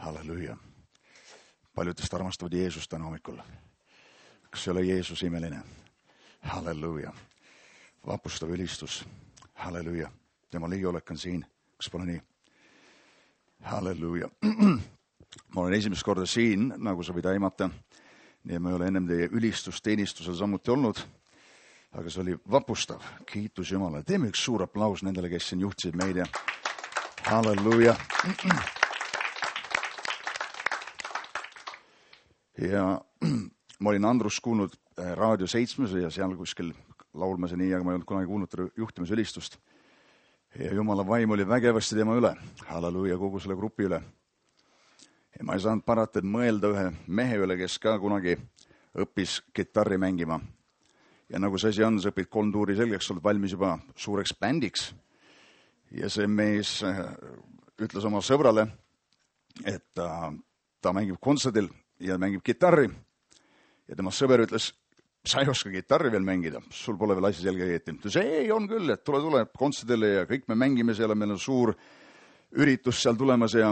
Halleluuja. Paljud teist armastavad Jeesust täna hommikul. Kas ei ole Jeesus imeline? Halleluuja. Vapustav ülistus. Halleluuja. Tema liiolek on siin. Kas pole nii? Halleluuja. Ma olen esimest korda siin, nagu sa võid aimata. Nii ma ei ole ennem teie ülistusteenistusel samuti olnud. Aga see oli vapustav. Kiitus Jumala. Teeme üks suur aplaus nendele, kes siin juhtisid meid. Halleluuja. Ja ma olin Andrus kuulnud Raadio 7 ja seal kuskil laulma see nii, aga ma ei olnud kunagi kuulnud juhtimisülistust. Ja Jumala vaim oli vägevasti tema üle. Halleluuja kogu selle grupi üle. Ja ma ei saanud parata, et mõelda ühe mehe üle, kes ka kunagi õppis kitarri mängima. Ja nagu see asi on, sa õpid 3 tuuri selgeks, oled valmis juba suureks bändiks. Ja see mees ütles oma sõbrale, et ta mängib kontserdil ja mängib kitarri. Ja tema sõber ütles, sa ei oska kitarri veel mängida, sul pole veel asi selge õieti. Ta ütles, ei, on küll, et tule kontserdile ja kõik me mängime seal, meil on suur üritus seal tulemas ja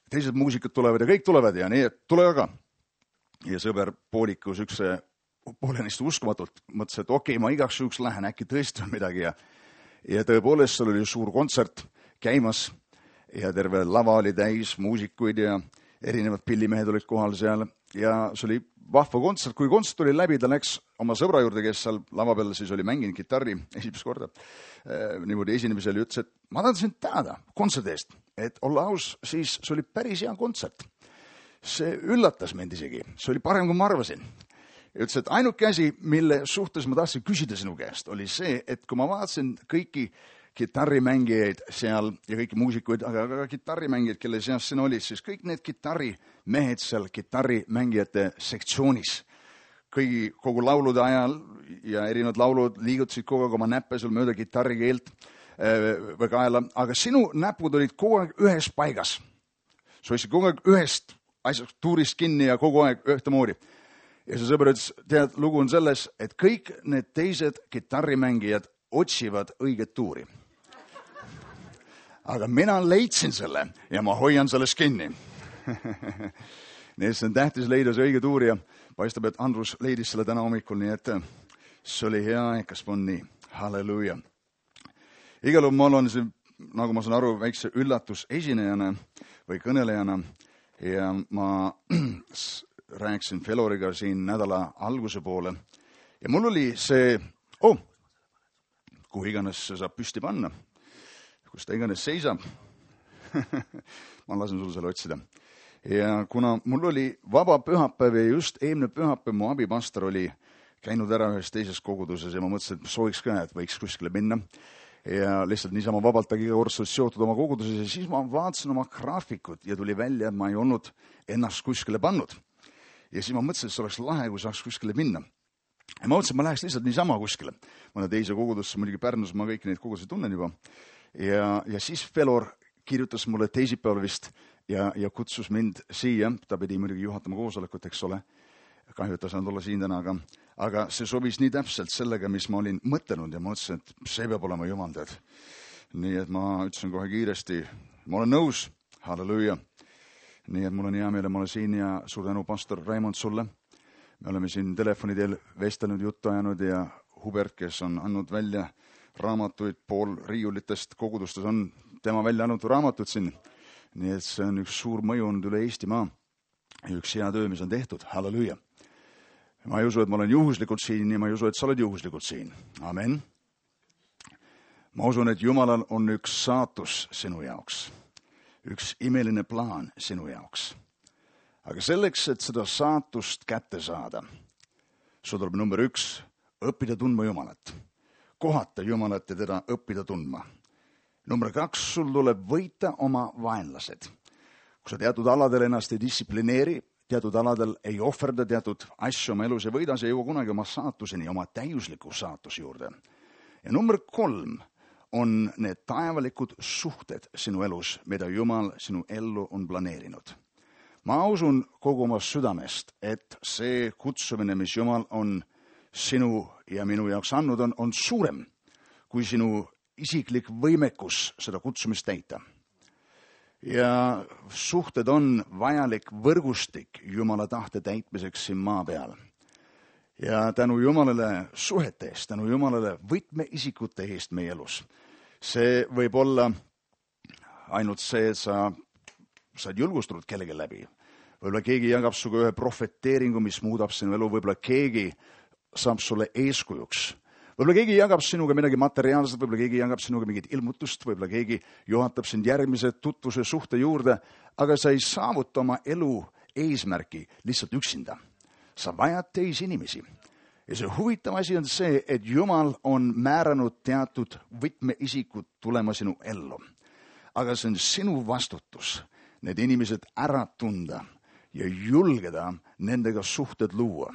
teised muusikud tulevad ja kõik tulevad ja nii, et tule aga. Ja sõber poolikus poolenisti uskumatult mõtles, et okei, ma igaks juhuks lähen, äkki tõesti on midagi. Ja tõepoolest, seal oli suur kontsert käimas ja terve lava oli täis muusikuid ja erinevad pillimehed olid kohal seal. Ja see oli vahva kontsert. Kui kontsert oli läbi, ta läks oma sõbra juurde, kes seal lava peal siis oli mänginud kitarri esimest korda. Niimoodi esinemisel ja ütles, et ma tahan sind tänada kontserdi eest. Et olla aus, siis see oli päris hea kontsert. See üllatas mind isegi. See oli parem, kui ma arvasin. Ja ütles, et ainuke asi, mille suhtes ma tahtsin küsida sinu käest, oli see, et kui ma vaatasin kõiki kitarrimängijaid seal ja kõiki muusikuid, aga ka kitarrimängijaid, kelle seas siin olid, siis kõik need kitarrimehed seal kitarrimängijate sektsioonis. Kogu laulude ajal ja erinevad laulud liigutasid kogu aeg oma näppe seal mööda kitarrikeelt või kaela, aga sinu näpud olid kogu aeg ühes paigas. Sa hoidsid kogu aeg ühest asjast tuurist kinni ja kogu aeg ühtemoodi. Ja see sõber ütles, tead, lugu on selles, et kõik need teised kitarrimängijad otsivad õiget tuuri. Aga mina leidsin selle ja ma hoian sellest kinni. Nii et see on tähtis leida see õige tuur ja paistab, et Andrus leidis selle täna hommikul, nii et see oli hea, kas on nii. Halleluuja. Igal juhul ma olen siin, nagu ma saan aru, väikse üllatus esinejana või kõnelejana ja ma rääkisin Feloriga siin nädala alguse poole. Ja mul oli see, kuhu iganes see saab püsti panna, kus ta iganes seisab. Ma lasen sul selle otsida. Ja kuna mul oli vaba pühapäev ja just eelmine pühapäev mu abipastor oli käinud ära ühes teises koguduses ja ma mõtlesin, et sooviks ka, et võiks kuskile minna. Ja lihtsalt niisama vabalt tagi kordselt seotud oma koguduses ja siis ma vaatasin oma graafikut ja tuli välja, et ma ei olnud ennast kuskile pannud. Ja siis ma mõtlesin, et see oleks lahe, kui saaks kuskile minna. Ja ma mõtlesin, et ma läheks lihtsalt niisama kuskile. Mõne teise kogudusse, muidugi Pärnus, ma kõiki neid kogudusi tunnen juba. Ja siis Felor kirjutas mulle teisipäeval vist ja kutsus mind siia. Ta pidi muidugi juhatama koosolekut, eks ole. Kahju, et ta saanud olla siin täna, aga see sobis nii täpselt sellega, mis ma olin mõtelnud ja ma mõtlesin, et see peab olema Jumal tead. Nii et ma ütlesin kohe kiiresti, ma olen nõus, halleluuja. Nii et mul on hea meel, et ma olen siin ja suur tänu pastor Raimond sulle. Me oleme siin telefonidel vestelnud, juttu ajanud ja Hubert, kes on andnud välja raamatuid pool riiulitest kogudustes, on tema välja andnud raamatud siin. Nii et see on üks suur mõju olnud üle Eestimaa ja üks hea töö, mis on tehtud. Halleluuja. Ma ei usu, et ma olen juhuslikult siin ja ma ei usu, et sa oled juhuslikult siin. Amen. Ma usun, et Jumalal on üks saatus sinu jaoks. Üks imeline plaan sinu jaoks. Aga selleks, et seda saatust kätte saada, sul tuleb number 1, õppida tundma Jumalat. Kohata Jumalat ja teda õppida tundma. Number 2, sul tuleb võita oma vaenlased. Kui sa teatud aladel ennast ei distsiplineeri, teatud aladel ei ohverda teatud asju oma elus ja võida, sa ei jõua kunagi oma saatuseni, oma täiusliku saatuse juurde. Ja number 3 on need taevalikud suhted sinu elus, mida Jumal sinu ellu on planeerinud. Ma usun kogu oma südamest, et see kutsumine, mis Jumal on sinu ja minu jaoks andnud, on suurem kui sinu isiklik võimekus seda kutsumist täita. Ja suhted on vajalik võrgustik Jumala tahte täitmiseks siin maa peal. Ja tänu Jumalale suhete eest, tänu Jumalale võtmeisikute eest meie elus. See võib olla ainult see, et sa saad julgustatud kellegi läbi. Võib-olla keegi jagab suga ühe profeteeringu, mis muudab sinu elu, võib-olla keegi saab sulle eeskujuks. Võib-olla keegi jagab sinuga midagi materiaalset, võib-olla keegi jagab sinuga mingit ilmutust, võib-olla keegi juhatab sind järgmise tutvuse suhte juurde, aga sa ei saavuta oma elu eesmärki lihtsalt üksinda. Sa vajad teisi inimesi. Ja see huvitav asi on see, et Jumal on määranud teatud võtmeisikud tulema sinu ellu. Aga see on sinu vastutus need inimesed ära tunda ja julgeda nendega suhted luua.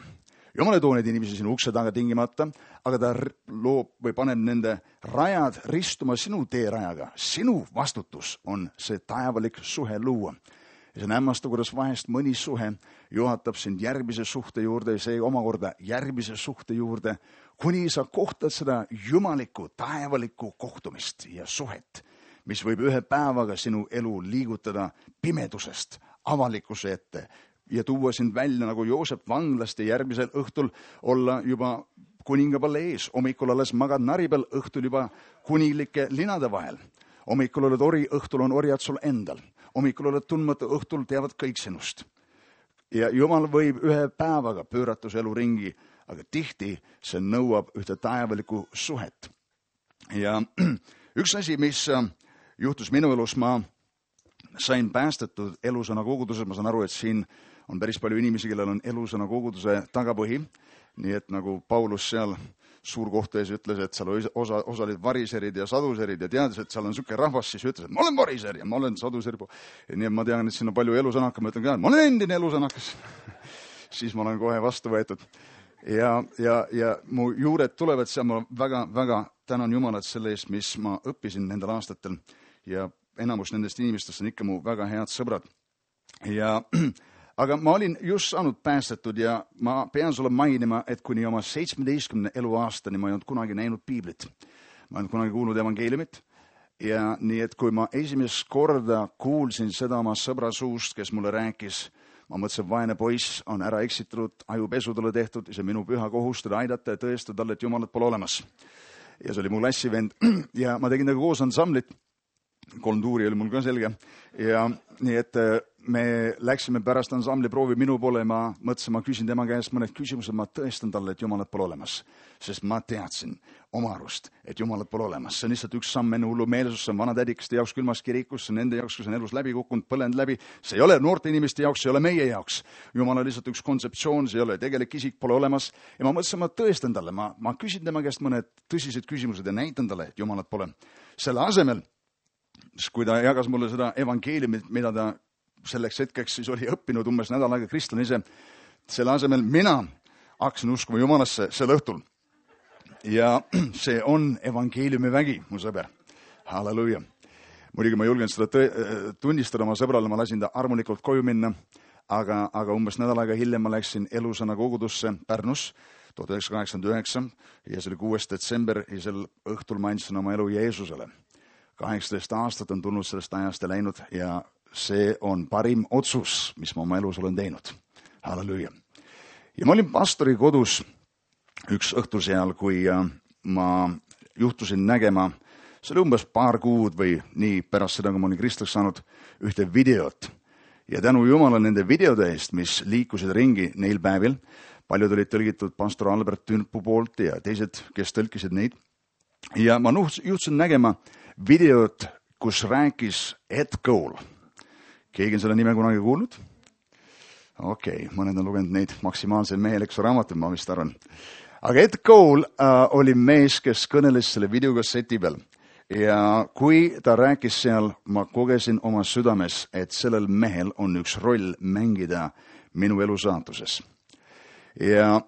Jumal ei too neid inimesi sinu ukse taga tingimata, aga ta loob või paneb nende rajad ristuma sinu teerajaga. Sinu vastutus on see taevalik suhe luua. Ja see on hämmastav, kuidas vahest mõni suhe juhatab sind järgmise suhte juurde ja see omakorda järgmise suhte juurde, kuni sa kohtad seda jumalikku, taevalikku kohtumist ja suhet, mis võib ühe päevaga sinu elu liigutada pimedusest avalikkuse ette ja tuua sind välja nagu Joosep vanglast ja järgmisel õhtul olla juba kuningapalle ees. Hommikul alles magad nari peal, õhtul juba kunilike linade vahel. Hommikul oled ori, õhtul on orjad sul endal. Hommikul oled tundmatu, õhtul teavad kõik sinust. Ja Jumal võib ühe päevaga pöörata su elu ringi, aga tihti see nõuab ühte taevalikku suhet. Ja üks asi, mis juhtus minu elus, ma sain päästetud Elusõna koguduses. Ma saan aru, et siin on päris palju inimesi, kellel on Elusõna koguduse tagapõhi. Nii et nagu Paulus seal suurkohtu ees ütles, et seal osa olid variserid ja saduserid ja teades, et seal on niisugune rahvas, siis ütles, et ma olen variser ja ma olen saduser. Nii et ma tean, et siin on palju elusõnaka. Ma ütlen ka, et ma olen endine elusõnakas. Siis ma olen kohe vastu võetud. Ja mu juured tulevad seal, ma väga tänan Jumalat selle eest, mis ma õppisin nendel aastatel. Ja enamus nendest inimestest on ikka mu väga head sõbrad. Aga ma olin just saanud päästetud ja ma pean sulle mainima, et kuni oma 17 eluaastani ma ei olnud kunagi näinud piiblit. Ma ei olnud kunagi kuulnud evangeeliumit. Ja nii, et kui ma esimest korda kuulsin seda oma sõbra suust, kes mulle rääkis, ma mõtlesin, vaene poiss on ära eksitatud, ajupesu talle tehtud ja see minu püha kohus teda aidata ja tõestada talle, et Jumalat pole olemas. Ja see oli mu klassivend ja ma tegin koos ansamblit. 3 tuuri oli mul ka selge ja nii, et me läksime pärast ansambli proovi minu poole ja ma mõtlesin, ma küsin tema käest mõned küsimused, ma tõestan talle, et Jumalat pole olemas, sest ma teadsin oma arust, et Jumalat pole olemas. See on lihtsalt üks samm enne hullumeelsus, see on vanatädikaste jaoks külmas kirikus, see on nende jaoks, kes on elus läbi kukkunud, põlenud läbi. See ei ole noorte inimeste jaoks, see ei ole meie jaoks. Jumal on lihtsalt üks kontseptsioon, see ei ole tegelik isik, pole olemas. Ja ma mõtlesin, ma tõestan talle, ma küsin tema käest mõned tõsised küsimused ja näitan talle, et Jumalat pole. Selle asemel, kui ta jagas mulle seda evangeeliumit, mida ta selleks hetkeks siis oli õppinud umbes nädal aega kristlane ise, selle asemel mina hakkasin uskuma Jumalasse sel õhtul. Ja see on evangeeliumi vägi, mu sõber. Halleluja. Muidugi ma julgen seda tunnistada oma sõbrale, ma lasin ta armulikult koju minna, aga umbes nädal aega hiljem ma läksin Elusõna kogudusse Pärnus 1989 ja see oli 6. detsember ja sel õhtul ma andsin oma elu Jeesusele. 18 aastat on tulnud sellest ajast ja läinud ja see on parim otsus, mis ma oma elus olen teinud. Halleluja. Ja ma olin pastori kodus üks õhtul seal, kui ma juhtusin nägema, see oli umbes paar kuud või nii pärast seda, kui ma olin kristlaks saanud, ühte videot. Ja tänu Jumala nende videode eest, mis liikusid ringi neil päevil, paljud olid tõlgitud pastor Albert Tünpu poolt ja teised, kes tõlkisid neid. Ja ma juhtusin nägema videot, kus rääkis Ed Cole. Keegi on selle nime kunagi kuulnud? Okei, mõned on lugenud neid maksimaalse meheleksu raamatuid, ma vist arvan. Aga Ed Cole oli mees, kes kõneles selle videokasseti peal. Ja kui ta rääkis seal, ma kogesin oma südames, et sellel mehel on üks roll mängida minu elu saatuses. Ja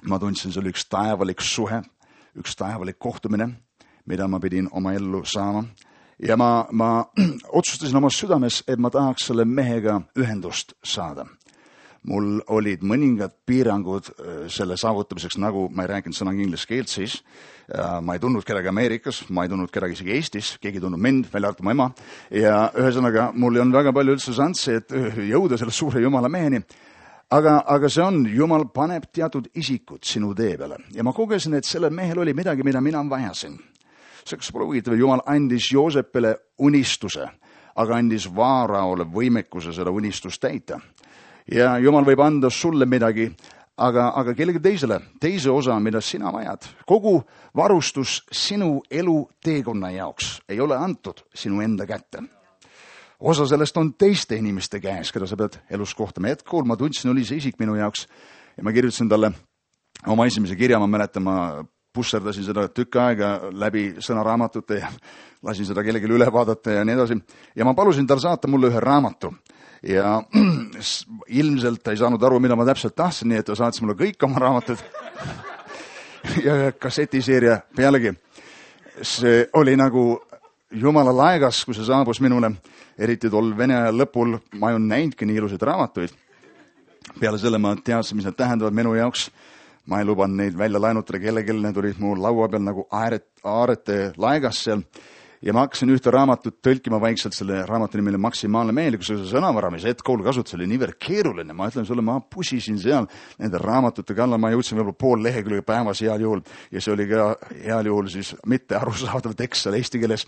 ma tundsin, see oli üks taevalik suhe, üks taevalik kohtumine, mida ma pidin oma ellu saama. Ja ma otsustasin oma südames, et ma tahaks selle mehega ühendust saada. mul olid mõningad piirangud selle saavutamiseks, nagu ma ei rääkinud sõnaga inglise keelt siis, ma ei tundnud kedagi Ameerikas, ma ei tundnud kedagi isegi Eestis, keegi ei tundnud mind, välja arvatud mu ema, ja ühesõnaga mul ei olnud väga palju üldse šanssi, et jõuda selle suure Jumala meheni, aga see on, Jumal paneb teatud isikud sinu tee peale ja ma kogesin, et sellel mehel oli midagi, mida mina vajasin. See, kas pole huvitav, Jumal andis Joosepile unistuse, aga andis Vaaraole võimekuse seda unistust täita. Ja Jumal võib anda sulle midagi, aga kellegi teise osa, mida sina vajad. Kogu varustus sinu elu teekonna jaoks ei ole antud sinu enda kätte. Osa sellest on teiste inimeste käes, keda sa pead elus kohtama. Hetkel ma tundsin, oli see isik minu jaoks ja ma kirjutasin talle oma esimese kirja, ma mäletan, ma pusserdasin seda tükk aega läbi sõnaraamatute ja lasin seda kellelegi üle vaadata ja nii edasi. Ja ma palusin tal saata mulle ühe raamatu. Ja ilmselt ta ei saanud aru, mida ma täpselt tahtsin, nii et ta saatis mulle kõik oma raamatud ja kassetiseeria pealegi. See oli nagu Jumala laegas, kui see saabus minule, eriti tol Vene aja lõpul, ma ei olnud näinudki nii ilusaid raamatuid. Peale selle ma teadsin, mis need tähendavad minu jaoks. Ma ei lubanud neid välja laenutada kellelegi, need olid mu laua peal nagu aarete laegas seal. Ja ma hakkasin ühte raamatut tõlkima vaikselt, selle raamatu nimele Maksimaalne meelikkus, see sõnavara, mis hetkool kasutus, oli niivõrd keeruline. Ma ütlen sulle, ma pusisin seal nende raamatute kallal, ma jõudsin võib-olla pool lehekülge päevas heal juhul ja see oli ka heal juhul siis mitte arusaadav tekst seal eesti keeles.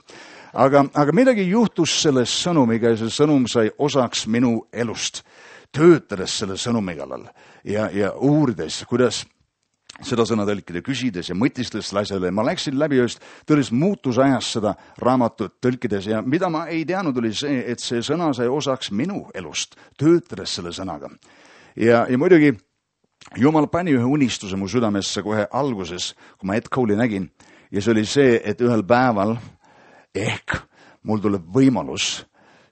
Aga midagi juhtus selle sõnumiga ja see sõnum sai osaks minu elust, töötades selle sõnumi kallal ja uurides, kuidas seda sõna tõlkida, küsides ja mõtistes asjale. Ma läksin läbi just tõeliselt muutusajas seda raamatut tõlkides ja mida ma ei teadnud oli see, et see sõna sai osaks minu elust, töötades selle sõnaga. Ja muidugi Jumal pani ühe unistuse mu südamesse kohe alguses, kui ma Ed Cole'i nägin ja see oli see, et ühel päeval ehk mul tuleb võimalus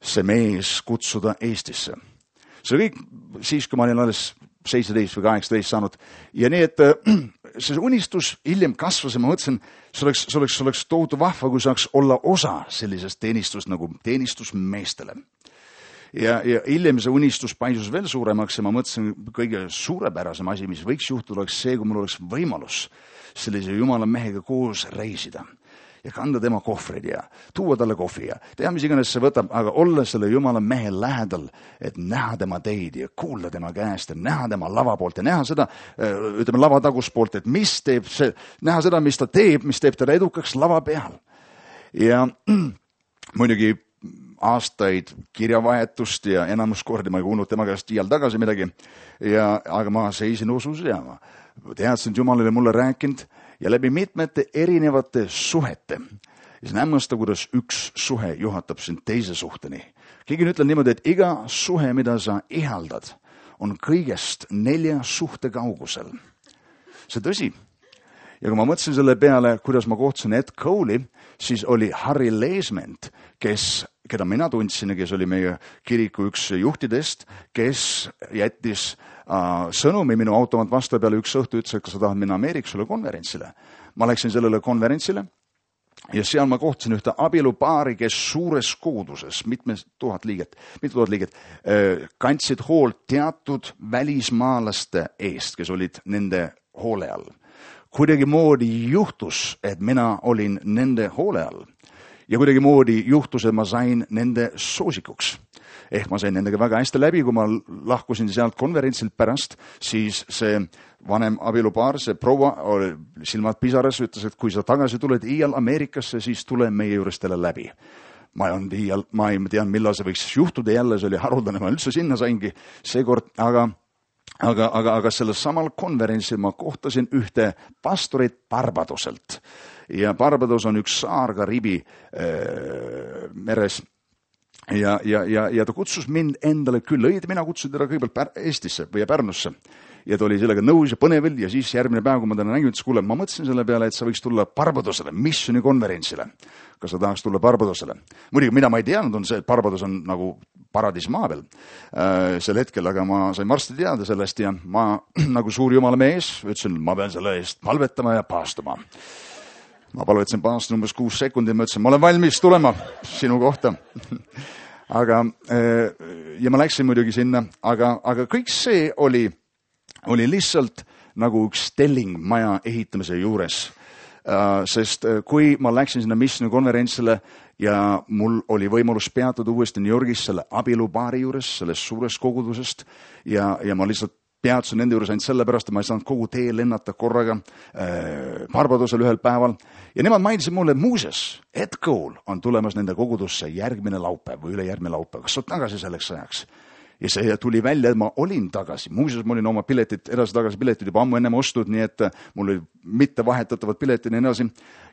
see mees kutsuda Eestisse. See kõik siis, kui ma olin alles 17 või 18 saanud. Ja nii, et see unistus hiljem kasvas ja ma mõtlesin, see oleks tohutu vahva, kui saaks olla osa sellisest teenistust nagu teenistusmeestele. Ja hiljem see unistus paisus veel suuremaks ja ma mõtlesin, kõige suurepärasem asi, mis võiks juhtuda, oleks see, kui mul oleks võimalus sellise Jumala mehega koos reisida ja kanda tema kohvrid ja tuua talle kohvi ja teha, mis iganes see võtab, aga olla selle Jumala mehe lähedal, et näha tema teid ja kuulda tema käest ja näha tema lava poolt ja näha seda, ütleme lava taguspoolt, et mis teeb see, näha seda, mis ta teeb, mis teeb talle edukaks lava peal. Ja muidugi aastaid kirjavahetust ja enamus kordi ma ei kuulnud tema käest iial tagasi midagi, aga ma seisin usus ja ma teadsin, et Jumal oli mulle rääkinud ja läbi mitmete erinevate suhete. Ja see on hämmastav, kuidas üks suhe juhatab sind teise suhteni. Keegi ütleb niimoodi, et iga suhe, mida sa ihaldad, on kõigest 4 suhte kaugusel. See tõsi. Ja kui ma mõtlesin selle peale, kuidas ma kohtusin Ed Cole'i, siis oli Harry Leesment, keda mina tundsin ja kes oli meie kiriku üks juhtidest, kes jättis sõnumi minu automaat vastu peale üks õhtu ütles, et kas sa tahad minna Ameerikale konverentsile. Ma läksin sellele konverentsile ja seal ma kohtasin ühte abielupaari, kes suures kooduses, mitu tuhat liiget, kandsid hoolt teatud välismaalaste eest, kes olid nende hoole all. Kuidagi moodi juhtus, et mina olin nende hoole all ja kuidagi moodi juhtus, et ma sain nende soosikuks. Ehk ma sain nendega väga hästi läbi, kui ma lahkusin sealt konverentsilt pärast, siis see vanem abielupaar, see proua, silmad pisaras, ütles, et kui sa tagasi tuled iial Ameerikasse, siis tule meie juures teile läbi. Ma ei tean, millal see võiks juhtuda jälle, see oli haruldane, ma üldse sinna saingi seekord, aga sellel samal konverentsil ma kohtasin ühte pastorit Barbadoselt. Ja Barbados on üks saar Kariibi meres. Ja ta kutsus mind endale küll, mina kutsusin teda kõigepealt Eestisse või Pärnusse ja ta oli sellega nõus ja põnevil ja siis järgmine päev, kui ma täna nägin, ütles, kuule, ma mõtlesin selle peale, et sa võiks tulla Barbadosele, missioni konverentsile. Kas sa tahaks tulla Barbadosele? Muidugi, mida ma ei teadnud, on see, et Barbados on nagu paradiis maa peal sel hetkel, aga ma sain varsti teada sellest ja ma nagu suur Jumala mees ütlesin, ma pean selle eest palvetama ja paastuma. Ma palvetasin paastin umbes 6 sekundit, ma ütlesin, ma olen valmis tulema sinu kohta. Aga ja ma läksin muidugi sinna, aga kõik see oli lihtsalt nagu üks telling maja ehitamise juures. Sest kui ma läksin sinna missioonikonverentsile ja mul oli võimalus peatuda uuesti New Yorgis selle abielupaari juures, sellest suurest kogudusest ja ma lihtsalt peatusin nende juures ainult sellepärast, et ma ei saanud kogu tee lennata korraga Barbadosel ühel päeval. Ja nemad mainisid mulle, muuseas, Ed Cole on tulemas nende kogudusse järgmine laupäev või ülejärgmine laupäev. Kas sa oled tagasi selleks ajaks? Ja see tuli välja, et ma olin tagasi. Muuseas, ma olin oma edasi-tagasi piletid juba ammu ennem ostud, nii et mul oli mitte vahetatavad piletid ja nii edasi.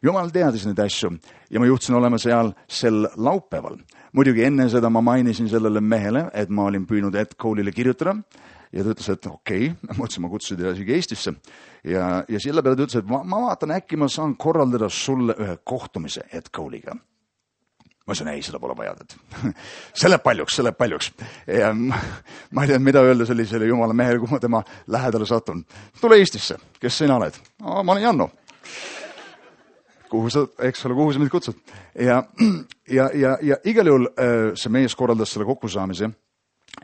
Jumal teadis neid asju ja ma juhtusin olema seal sel laupäeval. Muidugi enne seda ma mainisin sellele mehele, et ma olin püünud Ed Cole'ile kirjutada ja ta ütles, et okei, ma mõtlesin, ma kutsusin teda isegi Eestisse. Ja selle peale ta ütles, et ma vaatan, äkki ma saan korraldada sulle ühe kohtumise Ed Cole'iga. Ma ütlesin, ei, seda pole vaja. See läheb paljuks. Ja ma ei teadnud, mida öelda sellisele jumala mehele, kui ma tema lähedale satun. Tule Eestisse, kes sina oled? Ma olen Janno. Kuhu sa mind kutsud? Ja igal juhul see mees korraldas selle kokkusaamise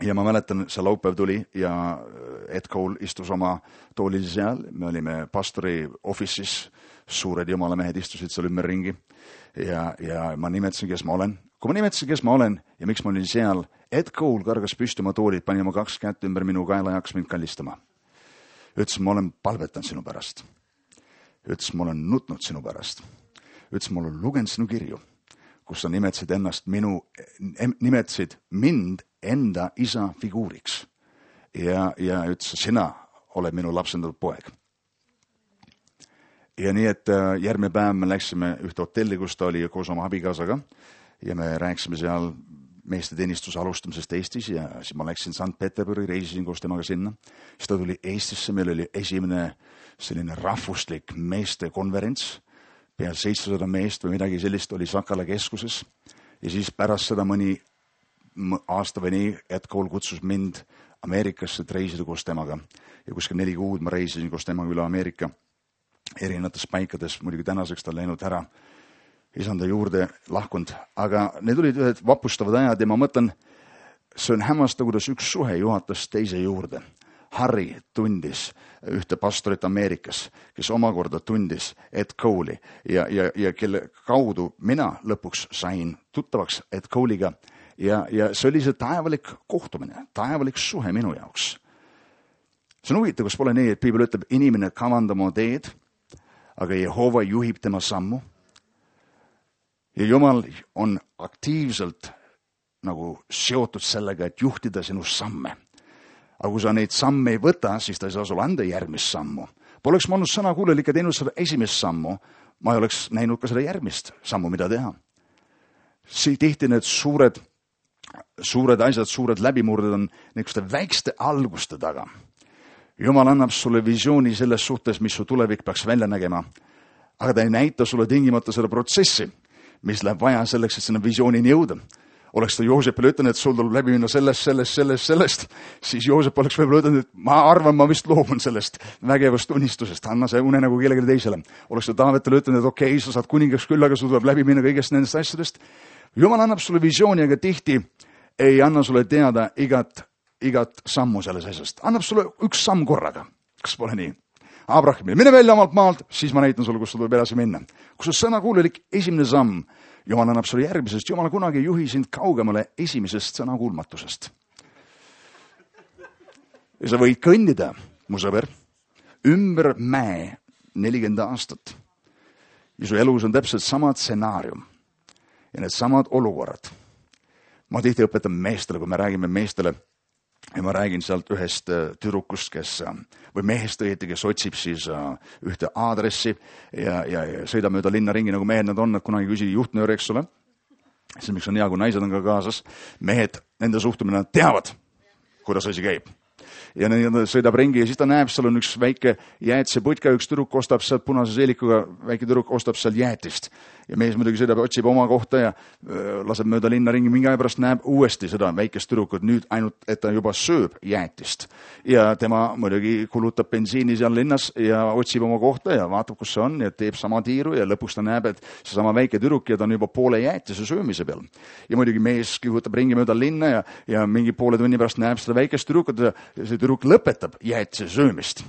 ja ma mäletan, see laupäev tuli ja Ed Cole istus oma toolil seal. Me olime pastori office'is, suured jumala mehed istusid seal ümberringi. Ja ma nimetasin, kes ma olen. Kui ma nimetasin, kes ma olen ja miks ma olin seal, Ed Cole kargas püsti oma toolid, pani oma 2 kätt ümber minu kaela ja hakkas mind kallistama. Ütles, ma olen palvetanud sinu pärast. Ütles, ma olen nutnud sinu pärast. Ütles, ma olen lugenud sinu kirju, kus sa nimetasid mind enda isa figuuriks. Ja ütles, sina oled minu lapsendatud poeg. Ja nii, et järgmine päev me läksime ühte hotelli, kus ta oli koos oma abikaasaga ja me rääkisime seal meeste teenistuse alustamisest Eestis ja siis ma läksin St. Peterburi, reisisin koos temaga sinna. Siis ta tuli Eestisse, meil oli esimene selline rahvuslik meeste konverents, peal 700 meest või midagi sellist oli Sakala keskuses ja siis pärast seda mõni aasta või nii Ed Cole kutsus mind Ameerikasse, et reisida koos temaga ja kuskil 4 kuud ma reisisin koos temaga üle Ameerika erinevates paikades, muidugi tänaseks ta on läinud ära, isanda juurde lahkunud, aga need olid ühed vapustavad ajad ja ma mõtlen, see on hämmastav, kuidas üks suhe juhatas teise juurde. Harry tundis ühte pastorit Ameerikas, kes omakorda tundis Ed Cole'i ja kelle kaudu mina lõpuks sain tuttavaks Ed Cole'iga ja see oli see taevalik kohtumine, taevalik suhe minu jaoks. See on huvitav, kus pole nii, et Piibel ütleb, inimene kavandab oma teed, aga Jehova juhib tema sammu. Ja Jumal on aktiivselt nagu seotud sellega, et juhtida sinu samme. Aga kui sa neid samme ei võta, siis ta ei saa sulle anda järgmist sammu. Poleks ma olnud sõnakuulelik ja teinud seda esimest sammu, ma ei oleks näinud ka seda järgmist sammu, mida teha. Tihti need suured asjad, suured läbimurded on niisuguste väikeste alguste taga. Jumal annab sulle visiooni selles suhtes, mis su tulevik peaks välja nägema, aga ta ei näita sulle tingimata seda protsessi, mis läheb vaja selleks, et sinna visioonini jõuda. Oleks ta Joosepile ütlenud, et sul tuleb läbi minna sellest, siis Joosep oleks võib-olla ütlenud, et ma arvan, ma vist loobun sellest vägevast unistusest, anna see une nagu kellelegi teisele. Oleks ta Taavetile ütlenud, et okei, sa saad kuningaks küll, aga sul tuleb läbi minna kõigest nendest asjadest. Jumal annab sulle visiooni, aga tihti ei anna sulle teada igat sammu selles asjast. Annab sulle üks samm korraga. Kas pole nii? Abrahamile, mine välja omalt maalt, siis ma näitan sulle, kus sul tuleb edasi minna. Kus sul sõnakuulelik esimene samm, Jumal annab sulle järgmisest. Jumal kunagi ei juhi sind kaugemale esimesest sõnakuulmatusest. Ja sa võid kõndida, mu sõber, ümber mäe 40 aastat. Ja su elus on täpselt sama stsenaarium ja need samad olukorrad. Ma tihti õpetan meestele, kui me räägime meestele, ja ma räägin sealt ühest tüdrukust, või mehest õieti, kes otsib siis ühte aadressi ja sõidab mööda linna ringi, nagu mehed nad on, et kunagi küsi juhtnööri, eks ole. See, miks on hea, kui naised on ka kaasas. Mehed, nende suhtumine, nad teavad, kuidas asi käib. ja sõidab ringi ja siis ta näeb, seal on üks väike jäätiseputka, üks tüdruk ostab sealt punase seelikuga, väike tüdruk ostab seal jäätist. Ja mees muidugi sõidab, otsib oma kohta ja laseb mööda linna ringi, mingi aja pärast näeb uuesti seda väikest tüdrukut, nüüd ainult, et ta juba sööb jäätist. Ja tema muidugi kulutab bensiini seal linnas ja otsib oma kohta ja vaatab, kus see on ja teeb sama tiiru ja lõpuks ta näeb, et see sama väike tüdruk ja ta on juba poole jäätise söömise peal. Ja muidugi mees kihutab ringi mööda linna ja mingi poole tunni pärast näeb seda väikest tüdrukut ja see tüdruk lõpetab jäätise söömist.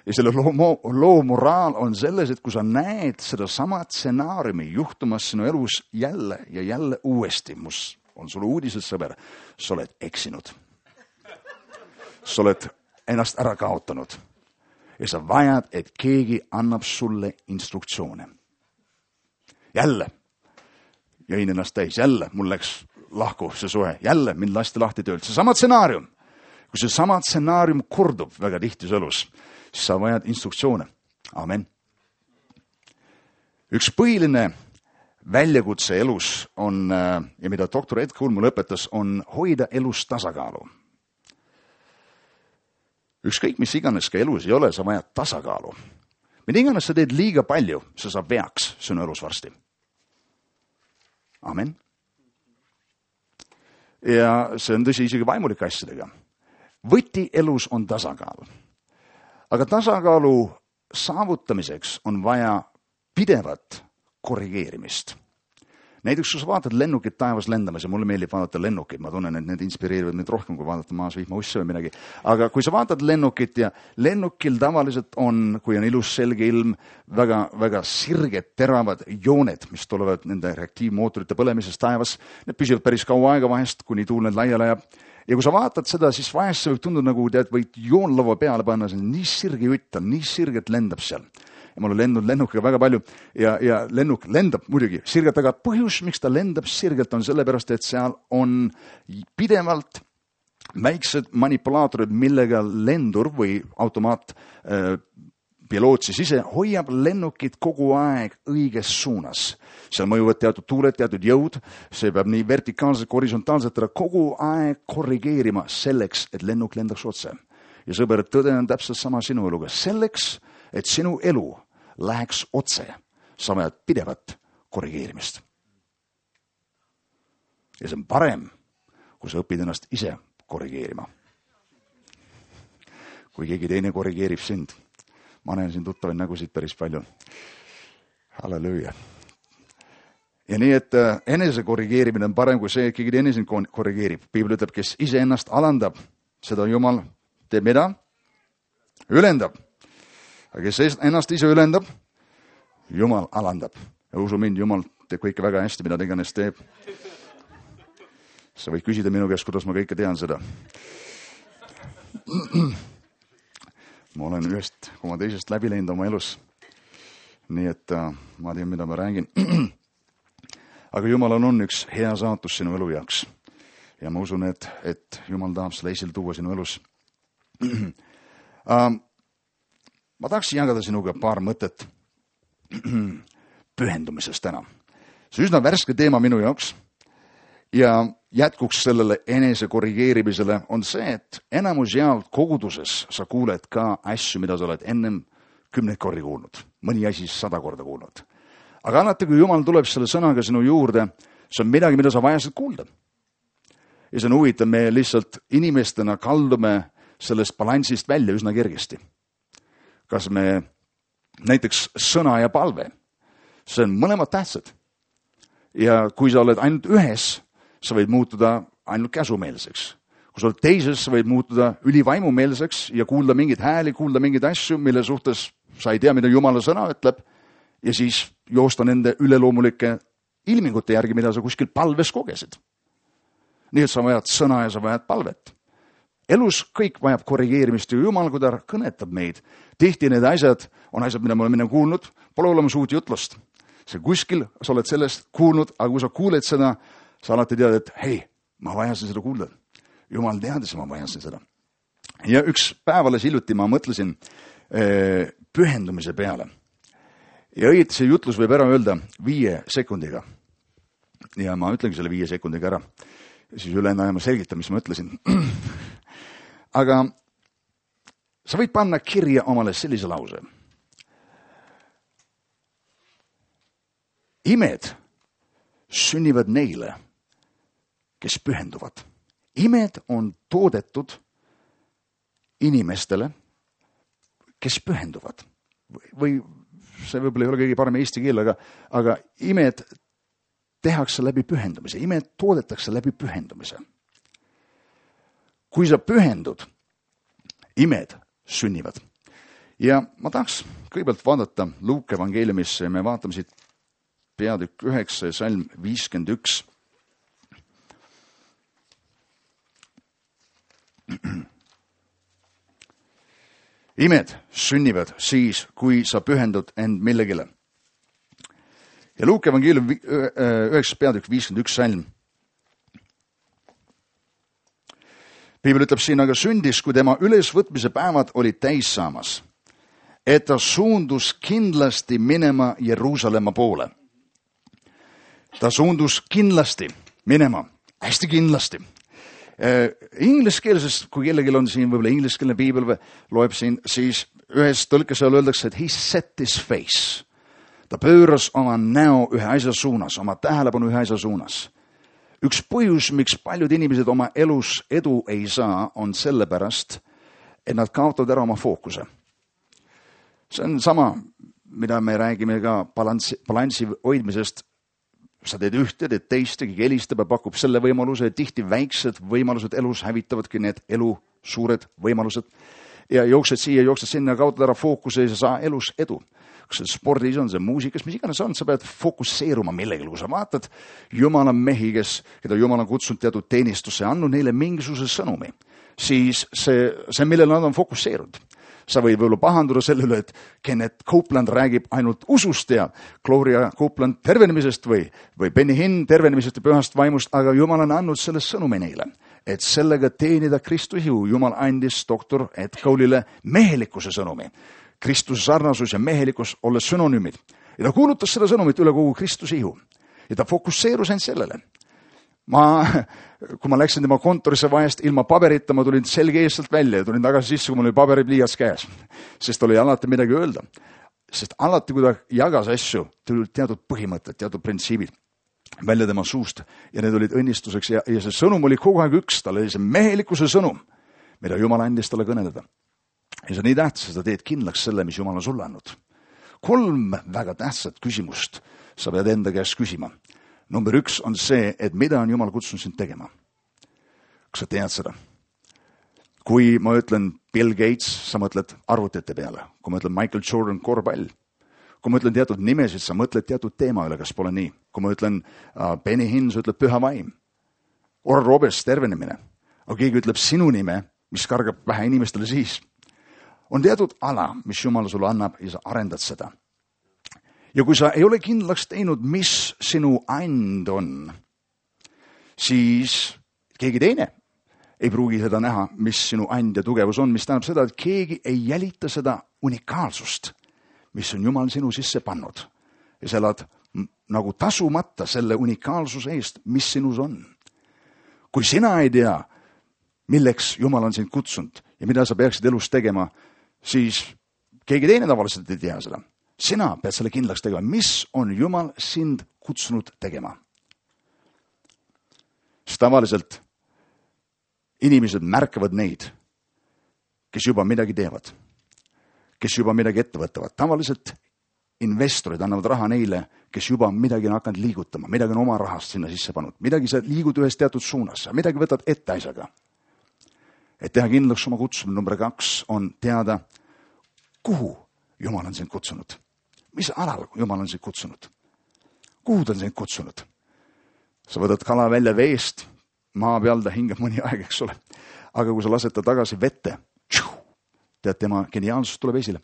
Ja selle loo moraal on selles, et kui sa näed seda sama stsenaariumi juhtumas sinu elus jälle ja jälle uuesti, mus on sulle uudised, sõber, sa oled eksinud. Sa oled ennast ära kaotanud. Ja sa vajad, et keegi annab sulle instruktsioone. Jälle jõin ennast täis, jälle mul läks lahku see suhe, jälle mind lasti lahti töölt. See sama stsenaarium. Kui see sama stsenaarium kordub väga tihti su elus, siis sa vajad instruktsioone. Amen. Üks põhiline väljakutse elus on, ja mida doktor Ed Kuhl mulle õpetas, on hoida elus tasakaalu. Ükskõik, mis iganes ka elus ei ole, sa vajad tasakaalu. Mida iganes sa teed liiga palju, sa saab veaks sinu elus varsti. Amen. Ja see on tõsi isegi vaimulike asjadega. Võti elus on tasakaal. Aga tasakaalu saavutamiseks on vaja pidevat korrigeerimist. Näiteks, kui sa vaatad lennukit taevas lendamas ja mulle meeldib vaadata lennukit, ma tunnen, et need inspireerivad mind rohkem, kui vaadata maas vihmausse või midagi. Aga kui sa vaatad lennukit ja lennukil tavaliselt on, kui on ilus selge ilm, väga, väga sirged, teravad jooned, mis tulevad nende reaktiivmootorite põlemisest taevas. Need püsivad päris kaua aega vahest, kuni tuul need laiali ajab. Ja kui sa vaatad seda, siis vahest see võib tunduda nagu võid joonlava peale panna, see on nii sirge jutt, nii sirget lendab seal. Ja ma olen lendnud lennukiga väga palju ja lennuk lendab muidugi sirgelt, aga põhjus, miks ta lendab sirgelt, on sellepärast, et seal on pidevalt väiksed manipulaatorid, millega lendur või automaat piloot siis ise hoiab lennukit kogu aeg õiges suunas. Seal mõjuvad teatud tuuled, teatud jõud, see peab nii vertikaalselt, horisontaalselt kogu aeg korrigeerima selleks, et lennuk lendaks otse. Ja sõber, tõde on täpselt sama sinu eluga. Selleks, et sinu elu läheks otse, sa vajad pidevat korrigeerimist. Ja see on parem, kui sa õpid ennast ise korrigeerima. Kui keegi teine korrigeerib sind. Ma näen siin tuttavaid nägusid päris palju. Halleluuja. Ja nii, et enese korrigeerimine on parem kui see, et keegi teine sind korrigeerib. Piibel ütleb, kes ise ennast alandab, seda Jumal teeb mida? Ülendab. Aga kes ennast ise ülendab, Jumal alandab. Ja usu mind, Jumal teeb kõike väga hästi, mida ta iganes teeb. Sa võid küsida minu käest, kuidas ma kõike tean seda. Ma olen ühest koma teisest läbi läinud oma elus. Nii et ma tean, mida ma räägin. Aga Jumalal on üks hea saatus sinu elu jaoks. Ja ma usun, et Jumal tahab selle esile tuua sinu elus. Ma tahaksin jagada sinuga paar mõtet pühendumisest täna. See üsna värske teema minu jaoks ja jätkuks sellele enese korrigeerimisele on see, et enamus jaolt koguduses sa kuuled ka asju, mida sa oled ennem 10 kordi kuulnud, mõni asi 100 korda kuulnud. Aga alati, kui Jumal tuleb selle sõnaga sinu juurde, see on midagi, mida sa vajasid kuulda. Ja see on huvitav, me lihtsalt inimestena kaldume sellest balansist välja üsna kergesti. Kas me näiteks sõna ja palve, see on mõlemad tähtsad. Ja kui sa oled ainult ühes, sa võid muutuda ainult käsumeelseks. Kui sa oled teises, sa võid muutuda ülivaimumeelseks ja kuulda mingeid hääli, kuulda mingeid asju, mille suhtes sa ei tea, mida Jumala sõna ütleb, ja siis joosta nende üleloomulike ilmingute järgi, mida sa kuskil palves kogesid. Nii et sa vajad sõna ja sa vajad palvet. Elus kõik vajab korrigeerimist ja Jumal, kui ta kõnetab meid. Tihti need asjad on asjad, mida me oleme kuulnud, pole olemas uut jutlust. See kuskil, sa oled sellest kuulnud, aga kui sa kuuled seda, sa alati tead, et hei, ma vajasin seda kuulda. Jumal teadis, ma vajasin seda. Ja üks päev alles hiljuti ma mõtlesin pühendumise peale. Ja õieti see jutlus võib ära öelda 5 sekundiga. Ja ma ütlengi selle 5 sekundiga ära. Ja siis ülejäänud aja ma selgitan, mis ma ütlesin. Aga sa võid panna kirja omale sellise lause. Imed sünnivad neile, kes pühenduvad. Imed on toodetud inimestele, kes pühenduvad. Või see võib-olla ei ole kõige parem eesti keel, aga imed tehakse läbi pühendumise. Imed toodetakse läbi pühendumise. Kui sa pühendud, imed sünnivad. Ja ma tahaks kõigepealt vaadata Luuke evangeeliumisse ja me vaatame siit peatükk 9 ja salm 51. Imed sünnivad siis, kui sa pühendud end millegile. Ja Luuke evangeelium 9 peatükk 51 salm. Piibel ütleb siin, aga sündis, kui tema ülesvõtmise päevad olid täis saamas, et ta suundus kindlasti minema Jeruusalemma poole. Ta suundus kindlasti minema, hästi kindlasti. Ingliskeelses, kui kellelgi on siin võib-olla ingliskeelne piibel või loeb siin, siis ühes tõlkes seal öeldakse, et he set his face. Ta pööras oma näo ühe asja suunas, oma tähelepanu ühe asja suunas. Üks põhjus, miks paljud inimesed oma elus edu ei saa, on sellepärast, et nad kaotavad ära oma fookuse. See on sama, mida me räägime ka balansi hoidmisest. Sa teed ühte, teed teist, keegi helistab ja pakub selle võimaluse, tihti väiksed võimalused elus hävitavadki need elu suured võimalused. Ja jooksed siia, jooksed sinna, kaotad ära fookuse ja sa saa elus edu. Kas see spordis on, see muusikas, mis iganes on, sa pead fokusseeruma millegile, kui sa vaatad Jumala mehi, keda Jumal on kutsunud teatud teenistusse, andnud neile mingisuguse sõnumi, siis see millele nad on fokusseerunud. Sa võid võib-olla pahanduda selle üle, et Kenneth Copeland räägib ainult usust ja Gloria Copeland tervenemisest või Benny Hinn tervenemisest ja pühast vaimust, aga Jumal on andnud selle sõnumi neile, et sellega teenida Kristuse ihu. Jumal andis doktor Ed Cole'ile mehelikkuse sõnumi. Kristuse sarnasus ja mehelikkus olles sünonüümid. Ja ta kuulutas seda sõnumit üle kogu Kristuse ihu. Ja ta fokusseerus ainult sellele. Kui ma läksin tema kontorisse vahest ilma paberita, ma tulin selge eestelt välja ja tulin tagasi sisse, kui mul oli paberipliiats käes. Sest oli alati midagi öelda. Sest alati, kui ta jagas asju, tulid teatud põhimõtted, teatud printsiibid välja tema suust ja need olid õnnistuseks ja see sõnum oli kogu aeg üks. Tal oli see mehelikkuse sõnum, mida Jumal andis talle kõneleda. Ja see on nii tähtsas, et ta teed kindlaks selle, mis Jumal on sulle andnud. 3 väga tähtsat küsimust sa pead enda käest küsima. Number 1 on see, et mida on Jumal kutsunud sind tegema. Kas sa tead seda? Kui ma ütlen Bill Gates, sa mõtled arvutite peale. Kui ma ütlen Michael Jordan, korvpall. Kui ma ütlen teatud nimesid, sa mõtled teatud teema üle, kas pole nii. Kui ma ütlen Benny Hinn, sa ütled püha vaim. Oral Roberts, tervenemine. Aga keegi ütleb sinu nime, mis kargab vähe inimestele siis. On teatud ala, mis Jumal sulle annab ja sa arendad seda. Ja kui sa ei ole kindlaks teinud, mis sinu and on, siis keegi teine ei pruugi seda näha, mis sinu and ja tugevus on, mis tähendab seda, et keegi ei jälita seda unikaalsust, mis on Jumal sinu sisse pannud. Ja sa elad nagu tasumata selle unikaalsuse eest, mis sinus on. Kui sina ei tea, milleks Jumal on sind kutsunud ja mida sa peaksid elus tegema, siis keegi teine tavaliselt ei tea seda. Sina pead selle kindlaks tegema, mis on Jumal sind kutsunud tegema. Sest tavaliselt inimesed märkavad neid, kes juba midagi teevad, kes juba midagi ette võtavad. Tavaliselt investorid annavad raha neile, kes juba midagi on hakanud liigutama, midagi on oma rahast sinna sisse pannud, midagi sa liigud ühes teatud suunas, midagi võtad ette asjaga. Et teha kindlaks oma kutsumine, number 2 on teada, kuhu Jumal on sind kutsunud. Mis alal Jumal on sind kutsunud? Kuhu ta on sind kutsunud? Sa võtad kala välja veest, maa peal ta hingab mõni aeg, eks ole. Aga kui sa lased ta tagasi vette, tead, tema geniaalsus tuleb esile.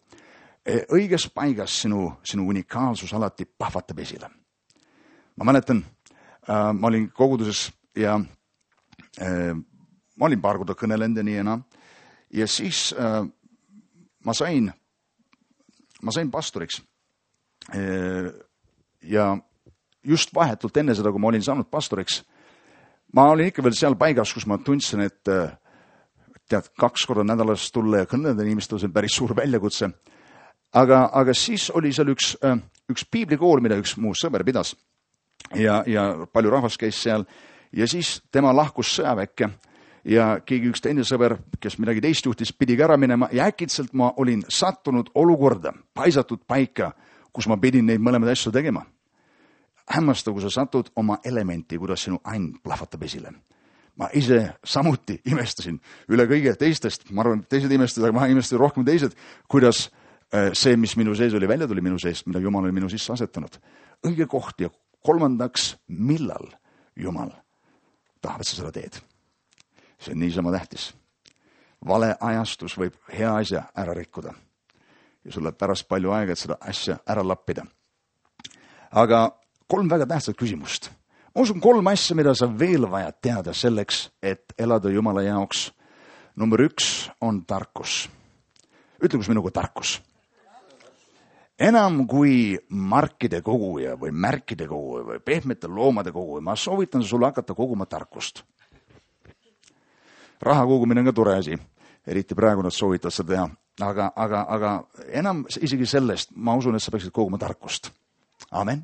Õiges paigas sinu unikaalsus alati pahvatab esile. Ma mäletan, ma olin koguduses ja ma olin paar korda kõnelenud ja nii enam. Ja siis ma sain pastoriks. Ja just vahetult enne seda, kui ma olin saanud pastoriks, ma olin ikka veel seal paigas, kus ma tundsin, et tead, 2 korda nädalas tulla ja kõneleda inimestele, see on päris suur väljakutse. Aga siis oli seal üks piiblikool, mida üks muu sõber pidas ja palju rahvas käis seal ja siis tema lahkus sõjaväkke ja keegi üks teine sõber, kes midagi teist juhtis, pidigi ära minema ja äkitselt ma olin sattunud olukorda, paisatud paika, kus ma pidin neid mõlemaid asju tegema. Hämmastav, kui sa satud oma elementi, kuidas sinu ain plahvatab esile. Ma ise samuti imestasin üle kõige teistest, ma arvan, teised imestasid, aga ma imestasin rohkem teised, kuidas see, mis minu sees oli, välja tuli minu sees, mida Jumal oli minu sisse asetanud. Õige koht ja 3, millal Jumal tahab, et sa seda teed. See on niisama tähtis. Vale ajastus võib hea asja ära rikkuda. Ja sul läheb pärast palju aega, et seda asja ära lappida. Aga 3 väga tähtsat küsimust. Ma usun 3 asja, mida sa veel vajad teada selleks, et elada Jumala jaoks. Number 1 on tarkus. Ütle, kus minuga tarkus. Enam kui markide koguja või märkide koguja või pehmete loomade koguja, ma soovitan sulle hakata koguma tarkust. Raha kogumine on ka tore asi, eriti praegu nad soovitavad seda teha. Aga enam isegi sellest, ma usun, et sa peaksid koguma tarkust. Amen.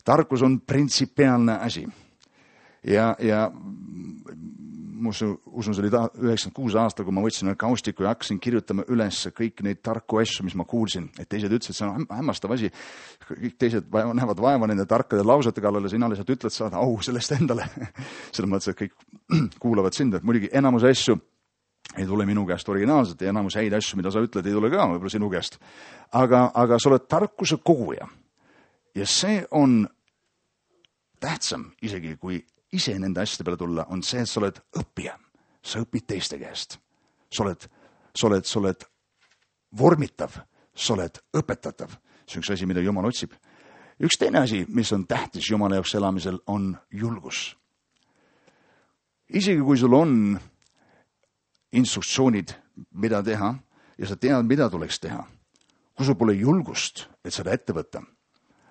Tarkus on printsipiaalne asi. Ja usun, see oli 96 aastal, kui ma võtsin kaustiku ja hakkasin kirjutama üles kõik neid tarku asju, mis ma kuulsin. Et teised ütlesid, see on hämmastav asi. Kõik teised näevad vaeva nende tarkade lausete kallale, sina lihtsalt ütled saada au sellest endale. Selles mõttes, et kõik kuulavad sind. Et muidugi enamus asju ei tule minu käest originaalselt ja enamus häid asju, mida sa ütled, ei tule ka võib-olla sinu käest. Aga sa oled tarkuse koguja. Ja see on tähtsam isegi, kui ise nende asjade peale tulla, on see, et sa oled õppija. Sa õpid teiste käest. Sa oled vormitav, sa oled õpetatav. See on üks asi, mida Jumal otsib. Üks teine asi, mis on tähtis Jumala jaoks elamisel, on julgus. Isegi kui sul on instruktsioonid, mida teha, ja sa tead, mida tuleks teha, kui sul pole julgust, et seda ette võtta,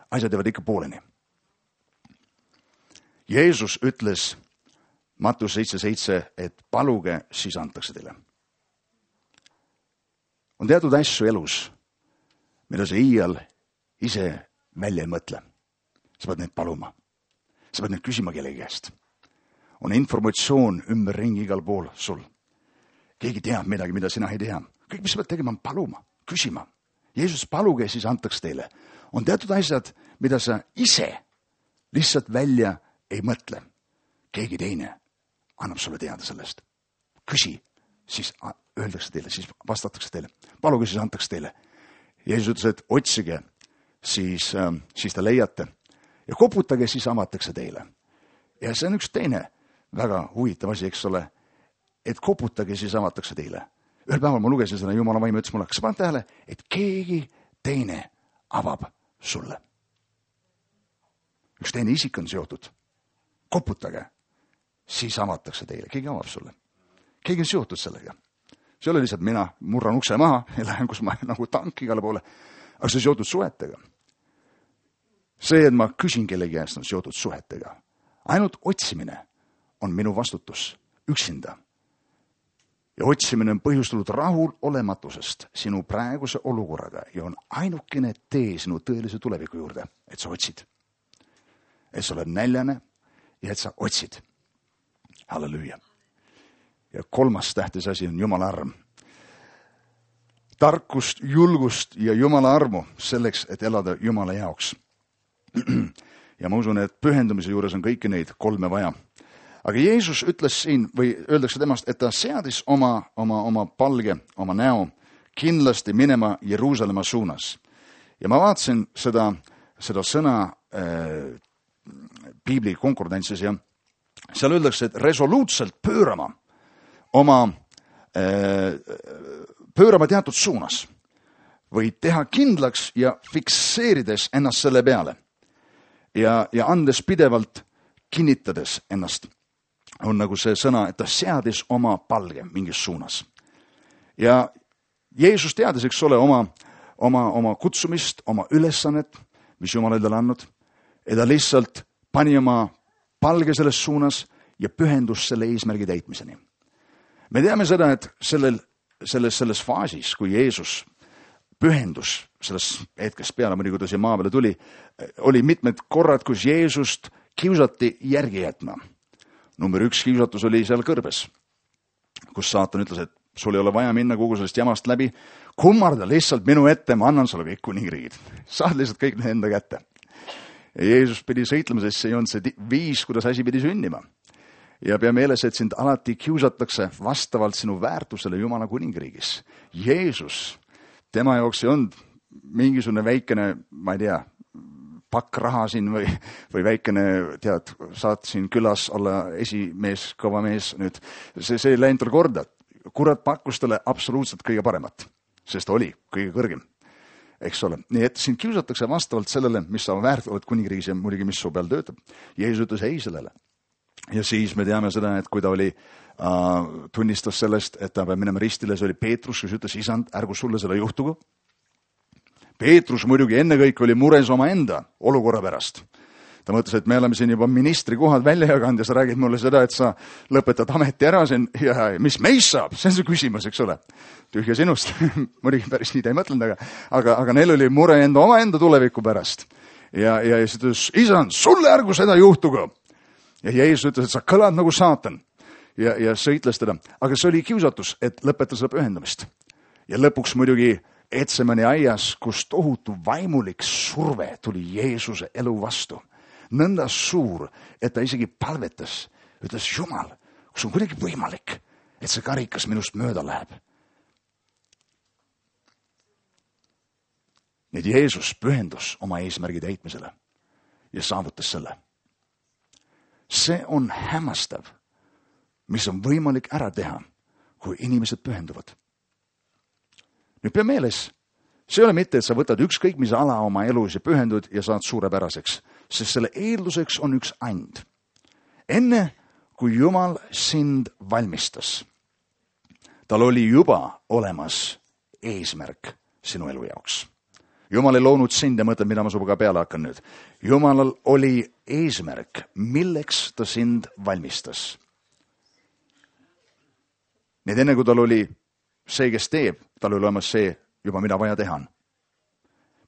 asjad jäävad ikka pooleni. Jeesus ütles Mattus 7:7, et paluge, siis antakse teile. On teatud asju elus, mida sa iial ise välja ei mõtle. Sa pead neid paluma. Sa pead neid küsima kellegi käest. On informatsioon ümberringi igal pool sul. Keegi teab midagi, mida sina ei tea. Kõik, mis sa pead tegema, on paluma, küsima. Jeesus, paluge, siis antakse teile. On teatud asjad, mida sa ise lihtsalt välja ei mõtle. Keegi teine annab sulle teada sellest. Küsi, siis öeldakse teile, siis vastatakse teile. Paluge, siis antakse teile. Jeesus ütles, et otsige, siis te leiate. Ja koputage, siis avatakse teile. Ja see on üks teine väga huvitav asi, eks ole, et koputage, siis avatakse teile. Ühel päeval ma lugesin seda, Jumala vaim ütles mulle, kas sa paned tähele, et keegi teine avab sulle. Üks teine isik on seotud. Koputage, siis avatakse teile. Keegi avab sulle. Keegi on seotud sellega. See oli lihtsalt mina murran ukse maha ja lähen, kus ma nagu tank igale poole. Aga see on seotud suhetega. See, et ma küsin kellegi käest, on seotud suhetega. Ainult otsimine on minu vastutus üksinda. Ja otsimine on põhjustatud rahul olematusest sinu praeguse olukorraga ja on ainukene tee sinu tõelise tuleviku juurde, et sa otsid. Et sa oled näljane ja et sa otsid. Halleluja. Ja 3. tähtis asi on Jumala arm. Tarkust, julgust ja Jumala armu selleks, et elada Jumala jaoks. Ja ma usun, et pühendumise juures on kõiki neid 3 vaja. Aga Jeesus ütles siin, või öeldakse temast, et ta seadis oma palge, oma näo kindlasti minema Jeruusalemma suunas. Ja ma vaatasin seda sõna Piibli konkordantsis ja seal öeldakse, et resoluutselt pöörama teatud suunas või teha kindlaks ja fikseerides ennast selle peale ja andes pidevalt kinnitades ennast. On nagu see sõna, et ta seadis oma palge mingis suunas. Ja Jeesus teadis, eks ole, oma kutsumist, oma ülesannet, mis Jumal endale andnud, ja ta lihtsalt pani oma palge selles suunas ja pühendus selle eesmärgi täitmiseni. Me teame seda, et selles faasis, kui Jeesus pühendus selles hetkest peale, muidugi kui ta siia maa peale tuli, oli mitmed korrad, kus Jeesust kiusati järgi jätma. Number 1 kiusatus oli seal kõrbes, kus saatan ütles, et sul ei ole vaja minna kogu sellest jamast läbi, kummarda lihtsalt minu ette, ma annan sulle kõik kuningriigid. Saad lihtsalt kõik need enda kätte. Ja Jeesus pidi sõitlema, sest see ei olnud see viis, kuidas asi pidi sünnima. Ja pea meeles, et sind alati kiusatakse vastavalt sinu väärtusele Jumala kuningriigis. Jeesus, tema jaoks ei olnud mingisugune väikene, ma ei tea, pakk raha siin või väikene, tead, saad siin külas olla esimees, kõva mees nüüd. See ei läinud tal korda. Kurat pakkus talle absoluutselt kõige paremat, sest ta oli kõige kõrgem. Eks ole. Nii et sind kiusatakse vastavalt sellele, mis sa väärt oled kuningriigis ja muidugi, mis su peal töötab. Jeesus ütles ei sellele. Ja siis me teame seda, et kui ta tunnistas sellest, et ta peab minema ristile, see oli Peetrus, kes ütles, isand, ärgu sulle selle juhtugu. Peetrus muidugi ennekõike oli mures oma enda olukorra pärast. Ta mõtles, et me oleme siin juba ministrikohad välja jaganud ja sa räägid mulle seda, et sa lõpetad ameti ära siin ja mis meist saab, see on see küsimus, eks ole. Tühja sinust, muidugi päris nii ta ei mõtlenud, aga neil oli mure omaenda tuleviku pärast. Ja siis ütles, isand, sulle ärgu seda juhtugu. Ja Jeesus ütles, et sa kõlad nagu saatan ja sõitles teda. Aga see oli kiusatus, et lõpeta seda pühendamist. Ja lõpuks muidugi Etsemani aias, kus tohutu vaimulik surve tuli Jeesuse elu vastu. Nõnda suur, et ta isegi palvetas, ütles Jumal, kus on kuidagi võimalik, et see karikas minust mööda läheb. Nii et Jeesus pühendus oma eesmärgi täitmisele ja saavutas selle. See on hämmastav, mis on võimalik ära teha, kui inimesed pühenduvad. Nüüd pea meeles, see ei ole mitte, et sa võtad ükskõik mis ala oma elus ja pühendud ja saad suurepäraseks, sest selle eelduseks on üks and. Enne, kui Jumal sind valmistas, tal oli juba olemas eesmärk sinu elu jaoks. Jumal ei loonud sind ja mõtled, mida ma suga peale hakkan nüüd. Jumalal oli eesmärk, milleks ta sind valmistas. Nii et enne, kui tal oli see, kes teeb, tal oli olemas see juba, mida vaja teha on.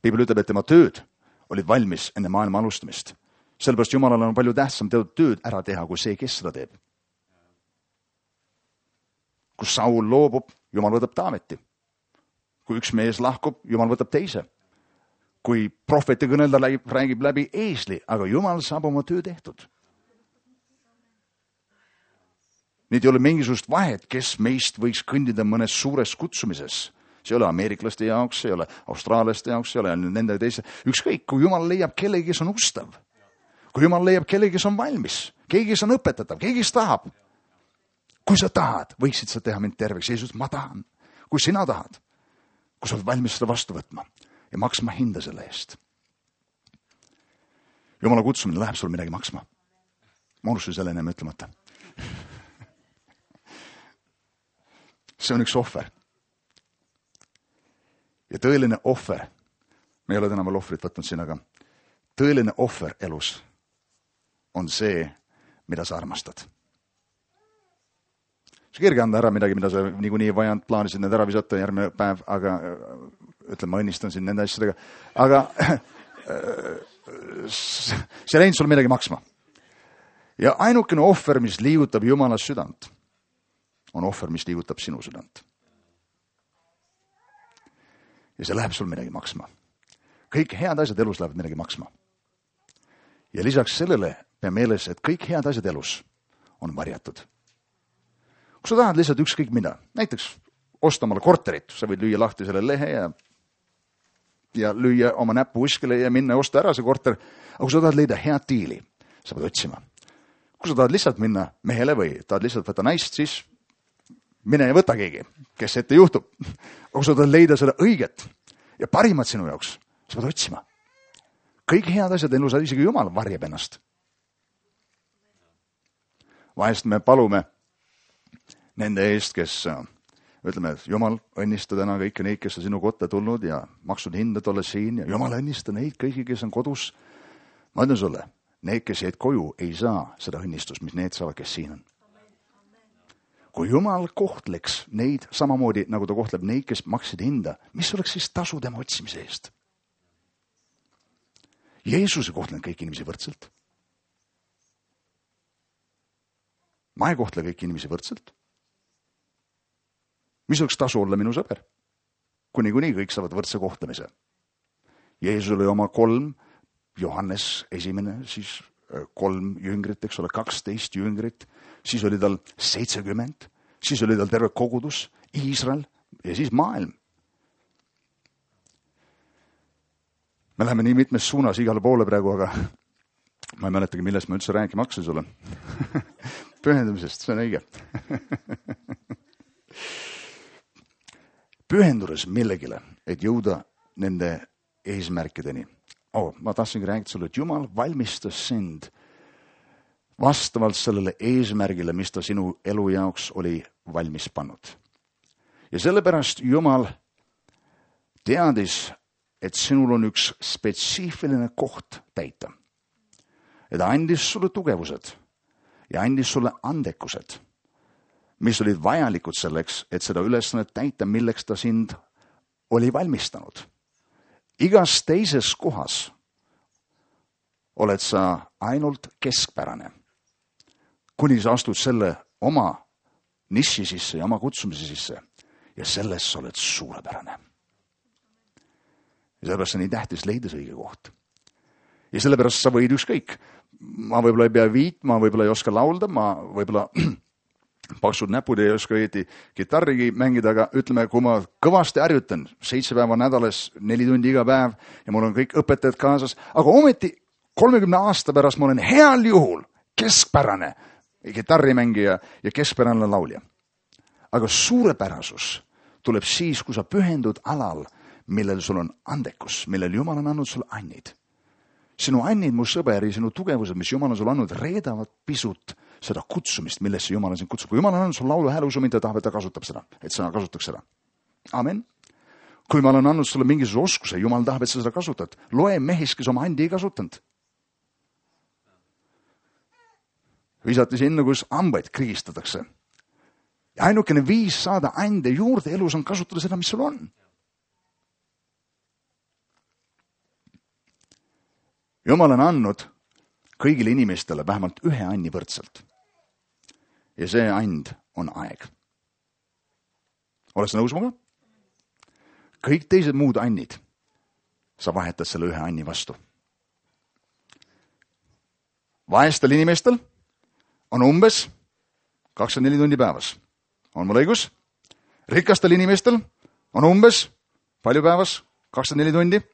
Piibel ütleb, et tema tööd olid valmis enne maailma alustamist. Sellepärast Jumalal on palju tähtsam teatud tööd ära teha, kui see, kes seda teeb. Kui Saul loobub, Jumal võtab Taaveti. Kui üks mees lahkub, Jumal võtab teise. Kui prohveti kõnelda räägib läbi eesli, aga Jumal saab oma töö tehtud. Nüüd ei ole mingisugust vahet, kes meist võiks kõndida mõnes suures kutsumises. See ei ole ameeriklaste jaoks, see ei ole austraalaste jaoks, see ei ole nende teise. Ükskõik, kui Jumal leiab kellegi, kes on ustav. Kui Jumal leiab kellegi, kes on valmis. Keegi, kes on õpetatav, keegi, kes tahab. Kui sa tahad, võiksid sa teha mind terveks. Jeesus, ma tahan. Kui sina tahad, kui sa oled valmis seda vastu võtma ja maksma hinda selle eest. Jumala kutsumine läheb sul midagi maksma. Ma unustasin selle ennem ütlemata. See on üks ohver. Ja tõeline ohver, me ei ole täna veel ohvrit võtnud siin, aga tõeline ohver elus on see, mida sa armastad. See kerge anda ära midagi, mida sa niikuinii vajanud, plaanisid need ära visata järgmine päev, aga ma õnnistan siin nende asjadega. Aga see läinud sul midagi maksma. Ja ainukene ohver, mis liigutab Jumala südant, on ohver, mis liigutab sinu südant. Ja see läheb sul midagi maksma. Kõik head asjad elus lähevad midagi maksma. Ja lisaks sellele pea meeles, et kõik head asjad elus on varjatud. Kui sa tahad lihtsalt ükskõik mida, näiteks osta omale korterit, sa võid lüüa lahti selle lehe ja lüüa oma näppu kuskile ja minna ja osta ära see korter. Aga kui sa tahad leida head diili, sa pead otsima. Kui sa tahad lihtsalt minna mehele või tahad lihtsalt võtta naist, siis mine ja võta keegi, kes ette juhtub. Aga kui sa tahad leida seda õiget ja parimat sinu jaoks, sa pead otsima. Kõik head asjad elus, isegi Jumal varjab ennast. Vahest me palume nende eest, kes ütleme, et Jumal õnnista täna kõiki neid, kes on sinu kotta tulnud ja maksud hindad olla siin ja Jumal õnnista neid kõigi, kes on kodus. Ma ütlen sulle, need, kes jäid koju, ei saa seda õnnistust, mis need saavad, kes siin on. kui Jumal kohtleks neid samamoodi, nagu ta kohtleb neid, kes maksid hinda, mis oleks siis tasu tema otsimise eest? Jeesus ei kohtlenud kõiki inimesi võrdselt. Ma ei kohtle kõiki inimesi võrdselt. Mis oleks tasu olla minu sõber? Kuni kõik saavad võrdse kohtlemise. Jeesus oli oma 3, Johannes esimene, siis 3 jüngrit, eks ole, 12 jüngrit, siis oli tal 70, siis oli tal terve kogudus, Iisrael ja siis maailm. Me läheme nii mitmes suunas igale poole praegu, aga ma ei mäletagi, millest ma üldse rääkima hakkasin sulle. Pühendumisest, see on õige. Pühendudes millegile, et jõuda nende eesmärkideni. Ma tahtsingi rääkida sulle, et Jumal valmistas sind vastavalt sellele eesmärgile, mis ta sinu elu jaoks oli valmis pannud. Ja sellepärast Jumal teadis, et sinul on üks spetsiifiline koht täita. Ja ta andis sulle tugevused ja andis sulle andekused, mis olid vajalikud selleks, et seda ülesannet täita, milleks ta sind oli valmistanud. Igas teises kohas oled sa ainult keskpärane, kuni sa astud selle oma niši sisse ja oma kutsumise sisse ja selles sa oled suurepärane. Ja sellepärast on nii tähtis leida see õige koht. Ja sellepärast sa võid ükskõik. Ma võib-olla ei pea viitma, võib-olla ei oska laulda, ma võib-olla paksud näpud ei oska õieti kitarrigi mängida, aga ütleme, kui ma kõvasti harjutan 7 päeva nädalas, 4 tundi iga päev ja mul on kõik õpetajad kaasas, aga ometi 30 aasta pärast ma olen heal juhul keskpärane kitarrimängija ja keskpärane laulja. Aga suurepärasus tuleb siis, kui sa pühendud alal, millel sul on andekus, millel Jumal on andnud sulle annid. Sinu annid, mu sõber, ja sinu tugevused, mis Jumal on sulle andnud, reedavad pisut seda kutsumist, millesse Jumal on sind kutsub. Kui Jumal on andnud sulle laulu hääle, usu mind, ta tahab, et ta kasutab seda, et sa kasutaks seda. Amen. Kui Jumal on andnud sulle mingisuguse oskuse, Jumal tahab, et sa seda kasutad. Loe mehis, kes oma andi ei kasutanud. Visati sinna, kus hambaid krigistatakse. Ja ainukene viis saada ande juurde elus on kasutada seda, mis sul on. Jumal on andnud kõigile inimestele vähemalt ühe anni võrdselt. Ja see and on aeg. Oled sa nõus muga? Kõik teised muud annid, sa vahetad selle ühe anni vastu. Vaestel inimestel on umbes 24 tundi päevas. On mul õigus? Rikastel inimestel on umbes palju päevas? 24 tundi?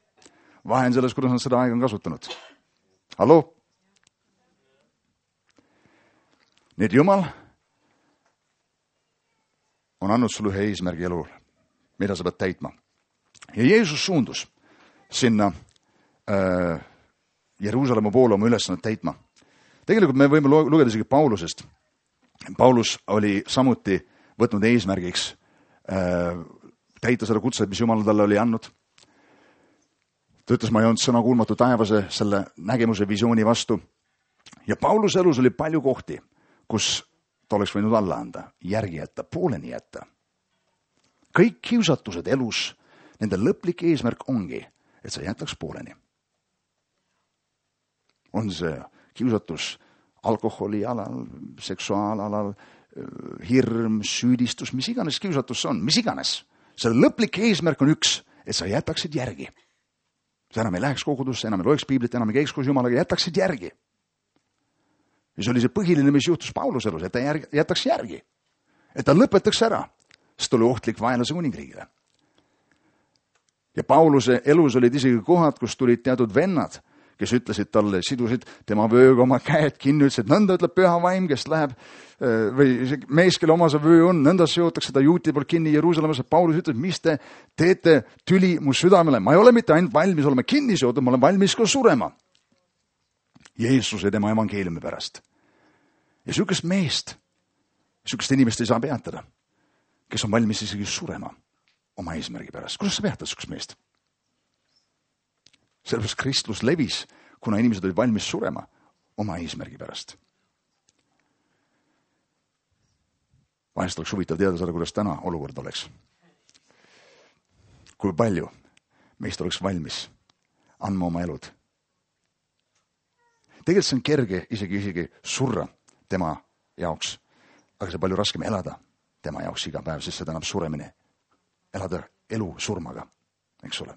Vahe on selles, kuidas nad seda aega on kasutanud. Hallo? Nii et Jumal on andnud sulle ühe eesmärgi elul, mida sa pead täitma. Ja Jeesus suundus sinna Jeruusalemma poole oma ülesannet täitma. Tegelikult me võime lugeda isegi Paulusest. Paulus oli samuti võtnud eesmärgiks täita seda kutset, mis Jumal talle oli andnud. Ta ütles, ma ei olnud sõna kuulmatu taevase selle nägemuse visiooni vastu. Ja Pauluse elus oli palju kohti, kus ta oleks võinud alla anda, järgi jätta, pooleni jätta. Kõik kiusatused elus, nende lõplik eesmärk ongi, et sa jätaks pooleni. On see kiusatus alkoholi alal, seksuaalalal, hirm, süüdistus, mis iganes kiusatus on, mis iganes. Selle lõplik eesmärk on üks, et sa jätaksid järgi. Sa enam ei läheks kogudusse, enam ei loeks piiblit, enam ei käiks koos Jumalaga, jätaksid järgi. Ja see oli see põhiline, mis juhtus Pauluse elus, et ta jätaks järgi. Et ta lõpetaks ära, sest oli ohtlik vaenlase kuningriigile. Ja Pauluse elus olid isegi kohad, kus tulid teatud vennad, kes ütlesid talle, sidusid tema vööga oma käed kinni, ütlesid, nõnda ütleb püha vaim, kes läheb, või mees, kelle oma see vöö on, nõnda seotakse ta juuti poolt kinni Jeruusalemmas. Paulus ütleb, mis te teete tüli mu südamele? Ma ei ole mitte ainult valmis olema kinni seotud, ma olen valmis ka surema. Jeesuse tema evangeeliumi pärast. Ja sükest meest, sükest inimest ei saa peatada, kes on valmis isegi surema oma eesmärgi pärast. Kuidas sa peatad sükest meest? Sellepärast Kristus levis, kuna inimesed olid valmis surema oma eesmärgi pärast. Vahest oleks huvitav teada saada, kuidas täna olukord oleks. Kui palju meist oleks valmis andma oma elud. Tegelikult see on kerge isegi surra tema jaoks, aga see on palju raskem elada tema jaoks iga päev, sest see tähendab suremine. Elada elu surmaga, eks ole.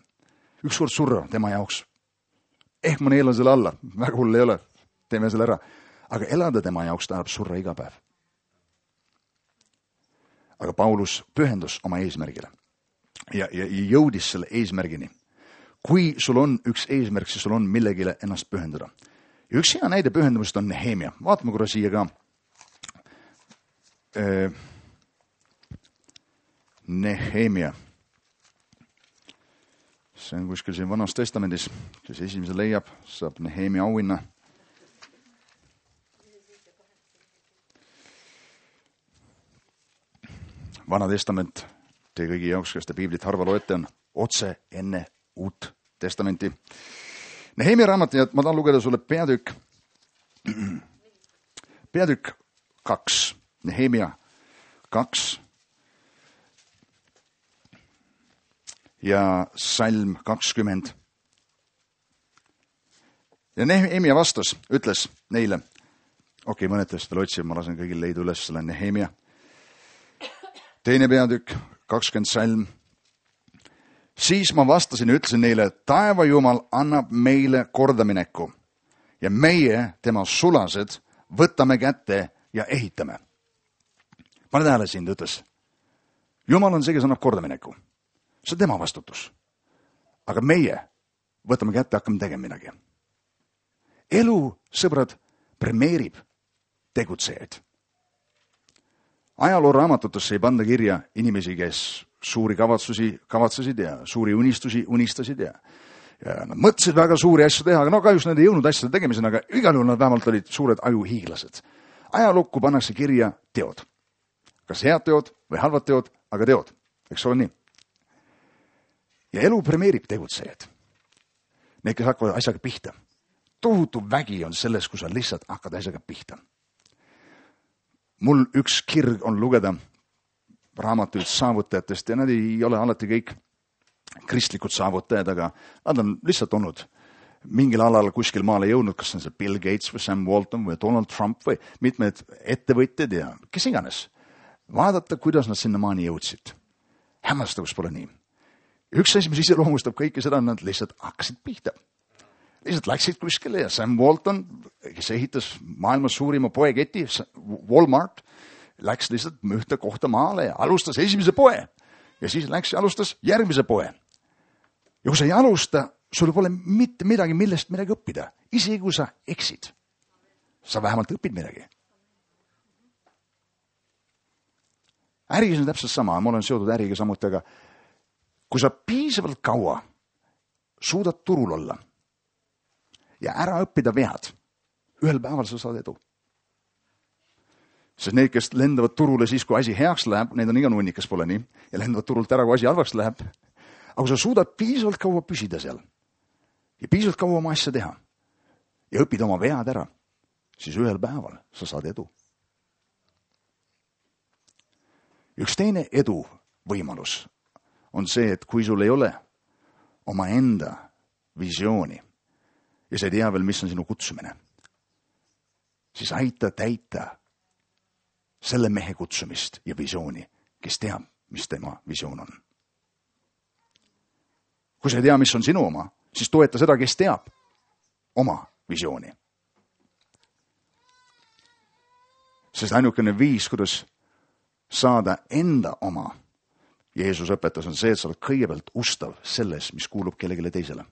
Ükskord surra tema jaoks. Ma neelan selle alla, väga hull ei ole, teeme selle ära. Aga elada tema jaoks tähendab surra iga päev. Aga Paulus pühendus oma eesmärgile ja jõudis selle eesmärgini. Kui sul on üks eesmärk, siis sul on millegile ennast pühendada. Ja üks hea näide pühendumist on Nehemia. Vaatame korra siia ka. Nehemia. See on kuskil siin Vanas Testamendis, kes esimese leiab, saab Nehemia auhinna. Vana Testament, te kõigi jaoks, kes te piiblit harva loete, on otse enne Uut Testamenti. Nehemia raamat, ja ma tahan lugeda sulle peatükk 2, Nehemia 2 ja salm 20. Ja Nehemia vastas, ütles neile, mõned teist veel otsib, ma lasen kõigil leida üles selle Nehemia. 2. peatükk, 20 salm. Siis ma vastasin ja ütlesin neile, taeva Jumal annab meile kordamineku ja meie, tema sulased, võtame kätte ja ehitame. Pane tähele sind, ütles. Jumal on see, kes annab kordamineku. See on tema vastutus. Aga meie võtame kätte, hakkame tegema midagi. Elu, sõbrad, premeerib tegutsejaid. Ajaloo raamatutesse ei panda kirja inimesi, kes suuri kavatsesid ja suuri unistusi unistasid ja nad mõtlesid väga suuri asju teha, aga kahjuks nad ei jõudnud asjade tegemisena, aga igal juhul nad vähemalt olid suured ajuhiiglased. Ajalukku pannakse kirja teod. Kas head teod või halvad teod, aga teod. Eks ole nii? Ja elu premeerib tegutsejaid. Need, kes hakkavad asjaga pihta. Tohutu vägi on selles, kui sa lihtsalt hakkad asjaga pihta. Mul üks kirg on lugeda raamatuid saavutajatest ja nad ei ole alati kõik kristlikud saavutajad, aga nad on lihtsalt olnud mingil alal kuskil maale jõudnud, kas on see Bill Gates või Sam Walton või Donald Trump või mitmed ettevõtjad ja kes iganes. Vaadata, kuidas nad sinna maani jõudsid. Hämmastavus pole nii. Üks asi, mis iseloomustab kõike seda, nad lihtsalt hakkasid pihta. Lihtsalt läksid kuskile ja Sam Walton, kes ehitas maailmas suurima poeketi, Walmart, läks lihtsalt ühte kohta maale ja alustas esimese poe. Ja siis läks ja alustas järgmise poe. Ja kui sa ei alusta, sul pole mitte midagi, millest midagi õppida. Isegi kui sa eksid, sa vähemalt õpid midagi. Äris on täpselt sama, ma olen seotud äriga samuti, aga kui sa piisavalt kaua suudad turul olla ja ära õppida vead, ühel päeval sa saad edu. Sest need, kes lendavad turule siis, kui asi heaks läheb, need on iga nunnikas, pole nii, ja lendavad turult ära, kui asi halvaks läheb. Aga sa suudad piisavalt kaua püsida seal ja piisavalt kaua oma asja teha ja õppida oma vead ära, siis ühel päeval sa saad edu. Üks teine edu võimalus on see, et kui sul ei ole oma enda visiooni ja sa ei tea veel, mis on sinu kutsumine, siis aita täita selle mehe kutsumist ja visiooni, kes teab, mis tema visioon on. Kui sa ei tea, mis on sinu oma, siis toeta seda, kes teab oma visiooni. Sest ainukene viis, kuidas saada enda oma, Jeesus õpetas, on see, et sa oled kõigepealt ustav selles, mis kuulub kellegile teisele.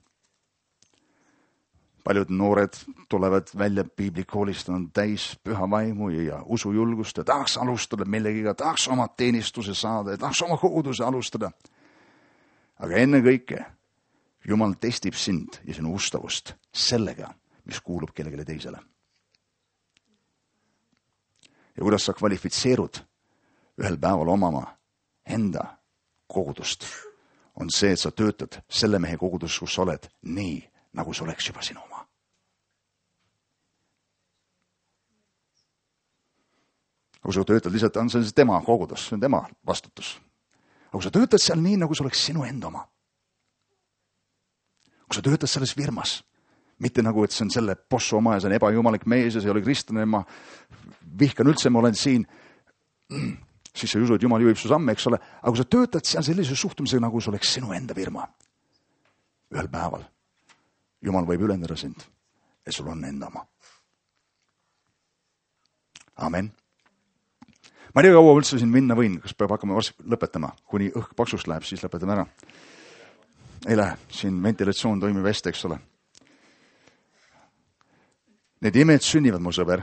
Paljud noored tulevad välja piiblikoolist, on täis püha vaimu ja usujulgust ja tahaks alustada millegiga, tahaks oma teenistuse saada ja tahaks oma koguduse alustada. Aga enne kõike Jumal testib sind ja sinu ustavust sellega, mis kuulub kellegile teisele. Ja kuidas sa kvalifitseerud ühel päeval omama enda kogudust, on see, et sa töötad selle mehe kogudus, kus sa oled nii, nagu see oleks juba sinu oma. kui sa töötad lihtsalt, on see tema kogudus, see on tema vastutus. Aga kui sa töötad seal nii, nagu see oleks sinu enda oma. Kui sa töötad selles firmas, mitte nagu, et see on selle bossu oma ja see on ebajumalik mees ja see ei ole kristlane, ma vihkan üldse, ma olen siin, siis sa ei usu, et Jumal juhib su samme, eks ole. Aga kui sa töötad seal sellise suhtumisega, nagu see oleks sinu enda firma, ühel päeval Jumal võib ülendada sind, et sul on enda oma. Amen. Ma ei tea, kaua üldse siin minna võin, kas peab hakkama varsti lõpetama, kuni õhk paksust läheb, siis lõpetame ära. Ei lähe, siin ventilatsioon toimib hästi, eks ole. Need imed sünnivad, mu sõber,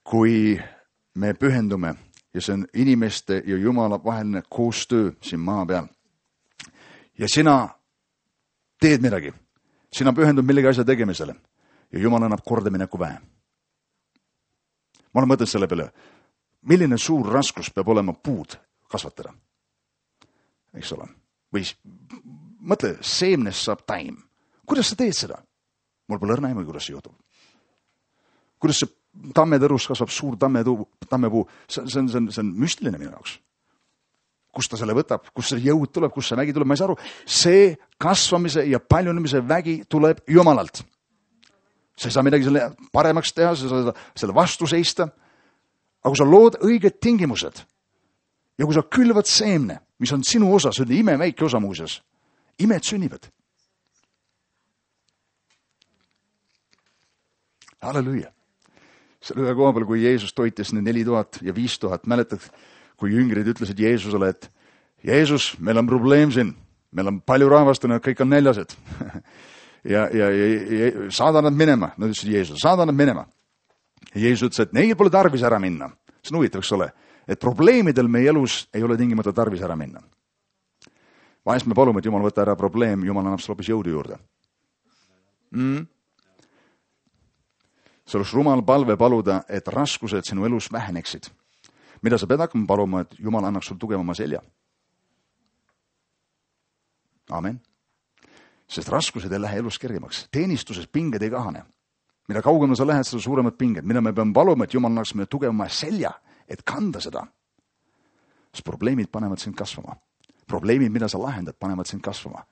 kui me pühendume ja see on inimeste ja Jumala vaheline koostöö siin maa peal. Ja sina teed midagi, sina pühendud millegi asja tegemisele ja Jumal annab kordamineku väe. Ma olen mõtelnud selle peale, milline suur raskus peab olema puud kasvatada. Eks ole. Või mõtle, seemnest saab taim. Kuidas sa teed seda? Mul pole õrna aimu, kuidas see juhtub. Kuidas see tammetõrus kasvab suur tammepuu? See on müstiline minu jaoks. Kust ta selle võtab? Kust see jõud tuleb? Kust see vägi tuleb? Ma ei saa aru. See kasvamise ja paljunemise vägi tuleb Jumalalt. Sa ei saa midagi selle paremaks teha, sa ei saa selle vastu seista. Aga kui sa lood õiged tingimused ja kui sa külvad seemne, mis on sinu osa, see on imeväike osa muuseas, imed sünnivad. Halleluja. Selle ühe koha peal, kui Jeesus toitis need 4000 ja 5000, mäletad, kui jüngrid ütlesid Jeesusele, et Jeesus, meil on probleem siin, meil on palju rahvast ja kõik on näljased. ja saada nad minema, nad ütlesid Jeesus, saada nad minema. Ja Jeesus ütles, et neil pole tarvis ära minna. See on huvitav, eks ole, et probleemidel meie elus ei ole tingimata tarvis ära minna. Vahest me palume, et Jumal võtta ära probleem, Jumal annab hoopis jõudu juurde. See oleks rumal palve paluda, et raskused sinu elus väheneksid. Mida sa pead hakkama paluma, et Jumal annaks sul tugevama selja? Amen. Sest raskused ei lähe elus kergemaks. Teenistuses pinged ei kahane. Mida kaugemale sa lähed, seda suuremad pinged. Mida me peame paluma, et Jumal annaks meile tugevama selja, et kanda seda. Sest probleemid panevad sind kasvama. Probleemid, mida sa lahendad, panevad sind kasvama.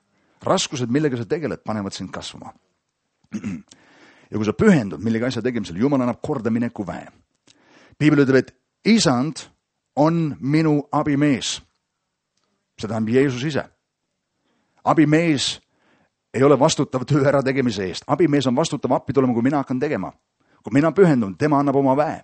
Raskused, millega sa tegeled, panevad sind kasvama. Ja kui sa pühendud millegi asja tegemisel, Jumal annab kordamineku väe. Piibel ütleb, et isand on minu abimees. See tähendab Jeesus ise. Abimees ei ole vastutav töö ära tegemise eest. Abimees on vastutav appi tulema, kui mina hakkan tegema. Kui mina pühendun, tema annab oma väe.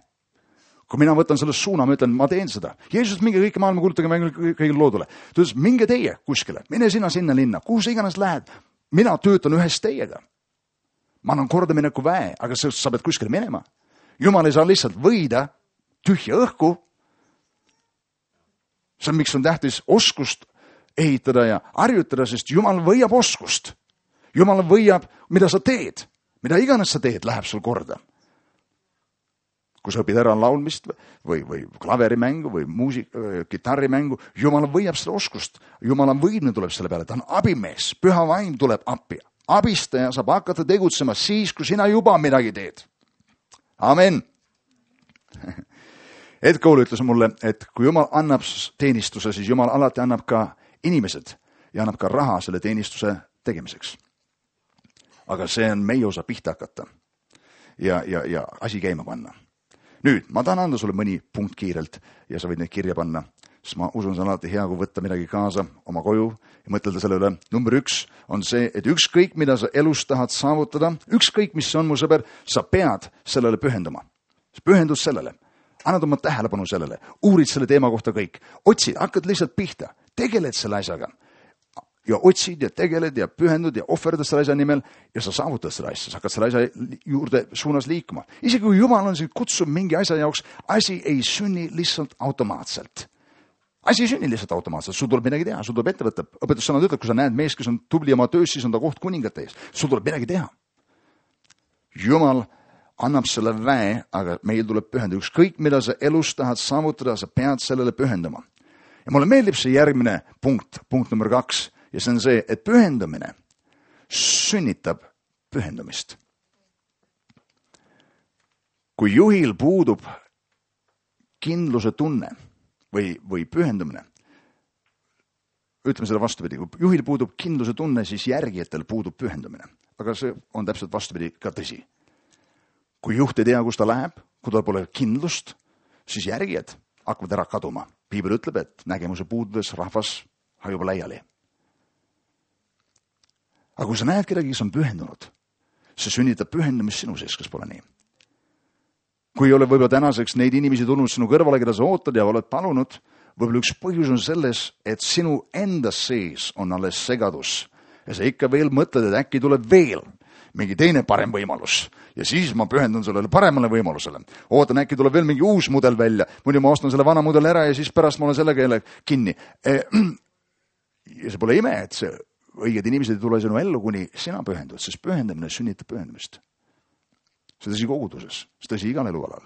Kui mina võtan sellest suuna, ma ütlen, ma teen seda. Jeesus, minge kõike maailma kuulutage kõigile loodule. Ta ütles, minge teie kuskile, mine sina sinna linna, kuhu sa iganes lähed. Mina töötan ühes teiega. Ma annan kordamineku väe, aga sa pead kuskile minema. Jumal ei saa lihtsalt võida tühja õhku. See on, miks on tähtis oskust ehitada ja harjutada, sest Jumal võiab oskust. Jumal võiab, mida sa teed. Mida iganes sa teed, läheb sul korda. Kui sa õpid ära laulmist või klaverimängu või kitarrimängu, Jumal võiab seda oskust. Jumala võidne tuleb selle peale, ta on abimees, püha vaim tuleb appi. Abistaja saab hakata tegutsema siis, kui sina juba midagi teed. Amen. Ed Kool ütles mulle, et kui Jumal annab teenistuse, siis Jumal alati annab ka inimesed ja annab ka raha selle teenistuse tegemiseks. Aga see on meie osa pihta hakata ja asi käima panna. Nüüd, ma tahan anda sulle mõni punkt kiirelt ja sa võid neid kirja panna, sest ma usun, see on alati hea, kui võtta midagi kaasa oma koju ja mõtelda selle üle. Number 1 on see, et ükskõik, mida sa elus tahad saavutada, ükskõik, mis see on, mu sõber, sa pead sellele pühenduma. Pühendus sellele. Annad oma tähelepanu sellele. Uurid selle teema kohta kõik. Otsid, hakkad lihtsalt pihta. Tegeled selle asjaga. Ja otsid ja tegeled ja pühendud ja ohverdad selle asja nimel ja sa saavutad selle asja. Sa hakkad selle asja juurde suunas liikuma. Isegi kui Jumal on sind kutsub mingi asja jaoks, asi ei sünni lihtsalt automaatselt. Asi ei sünni lihtsalt automaatselt. Sul tuleb midagi teha, sul tuleb ette võtta. Õpetussõnad ütleb, kui sa näed mees, kes on tubli oma töös, siis on ta koht kuningate ees. Sul tuleb midagi teha. Jumal annab selle väe, aga meil tuleb pühendada. Ükskõik, mida sa elus tahad saavutada, sa pead sellele pühendama. Ja mulle meeldib see järgmine punkt number 2. Ja see on see, et pühendamine sünnitab pühendumist. Kui juhil puudub kindluse tunne või pühendumine. Ütleme seda vastupidi, kui juhil puudub kindluse tunne, siis järgijatel puudub pühendumine. Aga see on täpselt vastupidi ka tõsi. Kui juht ei tea, kus ta läheb, kui tal pole kindlust, siis järgijad hakkavad ära kaduma. Piibel ütleb, et nägemuse puududes rahvas hajub laiali. Aga kui sa näed kedagi, kes on pühendunud, see sünnitab pühendumist sinu sees, kas pole nii? Kui ei ole võib-olla tänaseks neid inimesi tulnud sinu kõrvale, keda sa ootad ja oled palunud, võib-olla üks põhjus on selles, et sinu endas sees on alles segadus. Ja sa ikka veel mõtled, et äkki tuleb veel mingi teine parem võimalus. Ja siis ma pühendun sellele paremale võimalusele. Ootan, äkki tuleb veel mingi uus mudel välja. Muidu ma ostan selle vana mudel ära ja siis pärast ma olen sellega jälle kinni. Ja see pole ime, et see õiged inimesed ei tule sinu ellu, kuni sina pühendud, sest pühendamine sünnitab pühendumist. See tõsi koguduses, see tõsi igal elualal.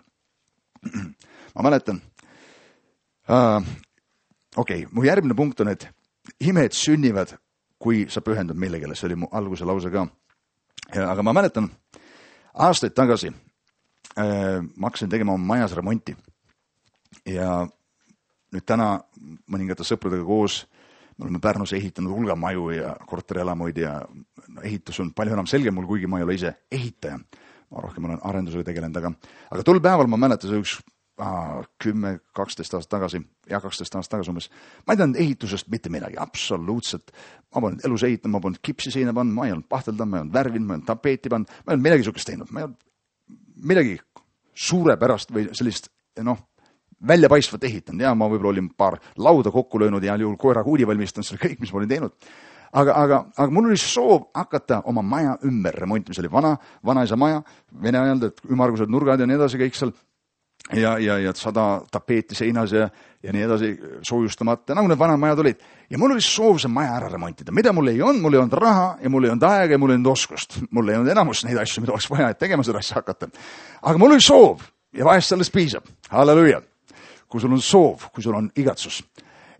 Ma mäletan, mu järgmine punkt on, et imed sünnivad, kui sa pühendud millegile. See oli mu alguse lause ka. Aga ma mäletan, aastaid tagasi ma hakkasin tegema oma majas remonti. Ja nüüd täna mõningate sõpradega koos me oleme Pärnus ehitanud hulga maju ja korterelamuid ja ehitus on palju enam selge mul, kuigi ma ei ole ise ehitaja. Ma rohkem olen arendusega tegelenud, aga tol päeval ma mäletan see üks 10-12 aastat tagasi, 12 aastat tagasi umbes. Ma ei teadnud ehitusest mitte midagi, absoluutselt. Ma polnud elus ehitanud, ma polnud kipsi seina pannud, ma ei olnud pahtelda, ma ei olnud värvinud, ma ei olnud tapeeti pannud, ma ei olnud midagi sukest teinud. Ma ei olnud midagi suurepärast või sellist, väljapaistvat ehitanud. Ja ma võib-olla olin paar lauda kokku löönud ja juhul koera kuudi valmistanud, see oli kõik, mis ma olin teinud. Aga mul oli soov hakata oma maja ümber remontima. See oli vanaisa maja, vene ajal, et ümmargused nurgad ja nii edasi kõik seal. Ja 100 tapeeti seinas ja nii edasi soojustamata, nagu need vanad majad olid. Ja mul oli soov see maja ära remontida. Mida mul ei olnud raha ja mul ei olnud aega ja mul ei olnud oskust. Mul ei olnud enamus neid asju, mida oleks vaja, et tegema seda asja hakata. Aga mul oli soov ja vahest sellest piisab. Halleluja. Kui sul on soov, kui sul on igatsus.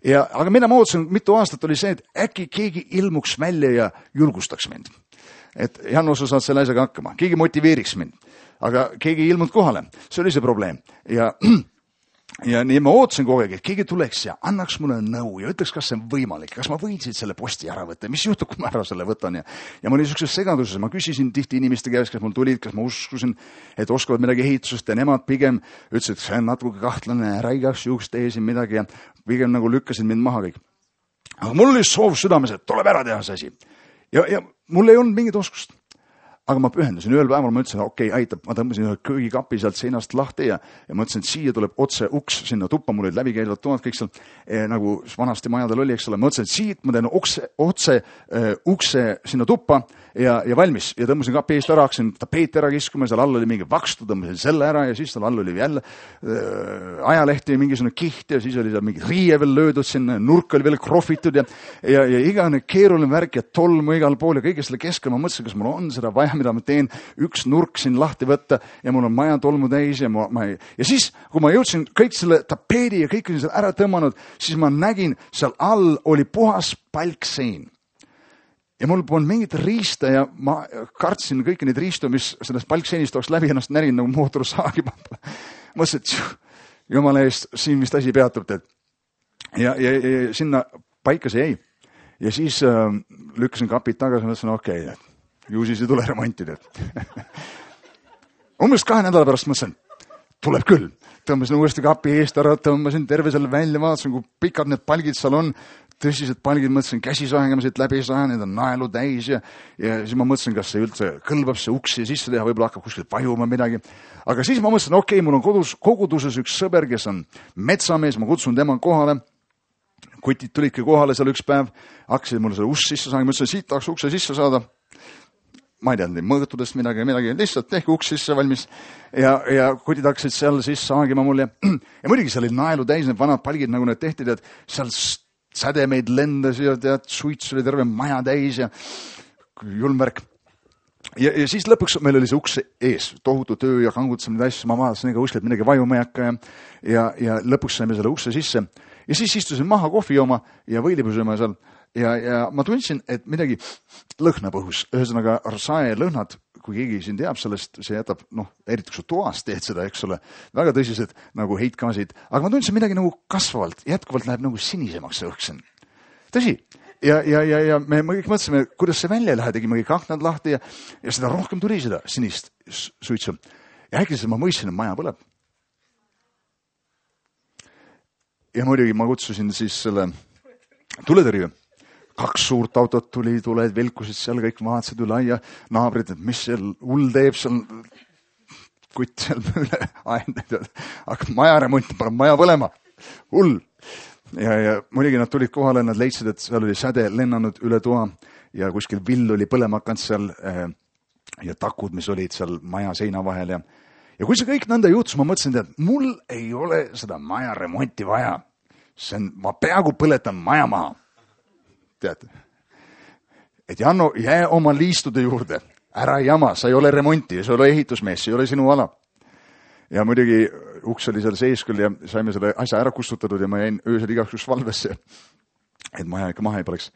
Aga mida ma ootasin mitu aastat oli see, et äkki keegi ilmuks välja ja julgustaks mind. Et Janno, sa saad selle asjaga hakkama. Keegi motiveeriks mind. Aga keegi ei ilmunud kohale. See oli see probleem. Ja nii ma ootasin kogu aeg, et keegi tuleks ja annaks mulle nõu ja ütleks, kas see on võimalik, kas ma võinsid selle posti ära võtta, mis juhtub, kui ma ära selle võtan. Ja ma olin niisuguses segaduses, ma küsisin tihti inimeste käest, kes mul tulid, kas ma uskusin, et oskavad midagi ehitusest ja nemad pigem ütlesid, et see on natuke kahtlane, ära igaks juhuks tee siin midagi ja pigem nagu lükkasid mind maha kõik. Aga mul oli soov südames, et tuleb ära teha see asi. Ja mul ei olnud mingit oskust. Aga ma pühendusin. Ühel päeval ma ütlesin, okei, aitab. Ma tõmbasin ühe köögikapi sealt seinast lahti ja ma ütlesin, et siia tuleb otse uks sinna tuppa. Mul olid läbikäivad toad kõik seal, nagu vanasti majadel oli, eks ole. Ma ütlesin, et siit ma teen otse ukse sinna tuppa ja valmis. Ja tõmbasin kapi eest ära, hakkasin tapeeti ära kiskuma, seal all oli mingi vakstu, tõmbasin selle ära ja siis seal all oli jälle ajalehti ja mingisugune kiht ja siis oli seal mingi riie veel löödud sinna, nurk oli veel krohvitud ja igane keeruline värk ja tolmu igal pool ja kõige selle keskel ma mõtlesin, kas mul on seda vaja, mida ma teen, üks nurk siin lahti võtta ja mul on maja tolmu täis ja ja siis, kui ma jõudsin kõik selle tapeedi ja kõik oli seal ära tõmmanud, siis ma nägin, seal all oli puhas palksein. Ja mul polnud mingit riista ja ma kartsin kõiki neid riistu, mis sellest palkseinist oleks läbi ennast närinud nagu mootorsaagi. Mõtlesin, et jumala eest, siin vist asi peatub. Ja sinna paika see jäi. Ja siis lükkasin kapid tagasi ja mõtlesin, okei, ju siis ei tule remontida. Umbes 2 nädala pärast mõtlesin, tuleb küll. Tõmbasin uuesti kapi eest ära, tõmbasin terve selle välja, vaatasin, kui pikad need palgid seal on. Tõsised palgid, mõtlesin, käsisaegama siit läbi saa, need on naelu täis ja siis ma mõtlesin, kas see üldse kõlbab see uksi sisse teha, võib-olla hakkab kuskilt vajuma midagi. Aga siis ma mõtlesin, okei, mul on koguduses üks sõber, kes on metsamees, ma kutsun tema kohale. Kutid tulidki kohale seal üks päev, hakkasid mulle selle ust sisse saama, mõtlesin, siit tahaks ukse sisse saada. Ma ei teadnud, mõõtudest midagi, lihtsalt tehke uks sisse valmis ja kutid hakkasid seal sisse saagima mulle. Ja muidugi seal oli naelu täis, need vanad palgid, nagu need tehti, et seal sädemeid lendas ja suits oli terve maja täis ja julmvärk. Ja siis lõpuks meil oli see uks ees, tohutu töö ja kangutasime neid asju, ma vaatasin ega uskelt midagi vajuma ei hakka ja lõpuks saime selle ukse sisse. Ja siis istusin maha kohvi jooma ja võilipusema seal ja ma tundsin, et midagi lõhnab õhus. Ühesõnaga, saelõhnad, kui keegi siin teab sellest, see jätab, eriti kui sa toas teed seda, eks ole, väga tõsised nagu heitgaasid. Aga ma tundsin midagi nagu kasvavalt, jätkuvalt läheb nagu sinisemaks see õhk. Tõsi. Ja me kõik mõtlesime, kuidas see välja ei lähe, tegime kõik aknad lahti ja seda rohkem tuli seda sinist suitsu. Ja äkki ma mõistsin, et maja põleb. Ja muidugi ma kutsusin siis selle tuletõrje. 2 suurt autot tuli, tuled velkusid seal, kõik vaatasid üle aia, naabrid, et mis seal hull teeb, seal kutt seal üle aendab, hakkab maja remonti, paneb maja põlema, hull. Ja muidugi nad tulid kohale, nad leidsid, et seal oli säde lennanud üle toa ja kuskil vill oli põlema hakanud seal ja takud, mis olid seal maja seina vahel ja kui see kõik nõnda juhtus, ma mõtlesin, et mul ei ole seda maja remonti vaja. Ma peaaegu põletan maja maha. Tead, et Janno, jää oma liistude juurde, ära jama, sa ei ole remonti, sa ei ole ehitusmees, see ei ole sinu ala. Ja muidugi uks oli seal sees küll ja saime selle asja ära kustutatud ja ma jäin öösel igaks valvesse, et maja ikka maha ei poleks.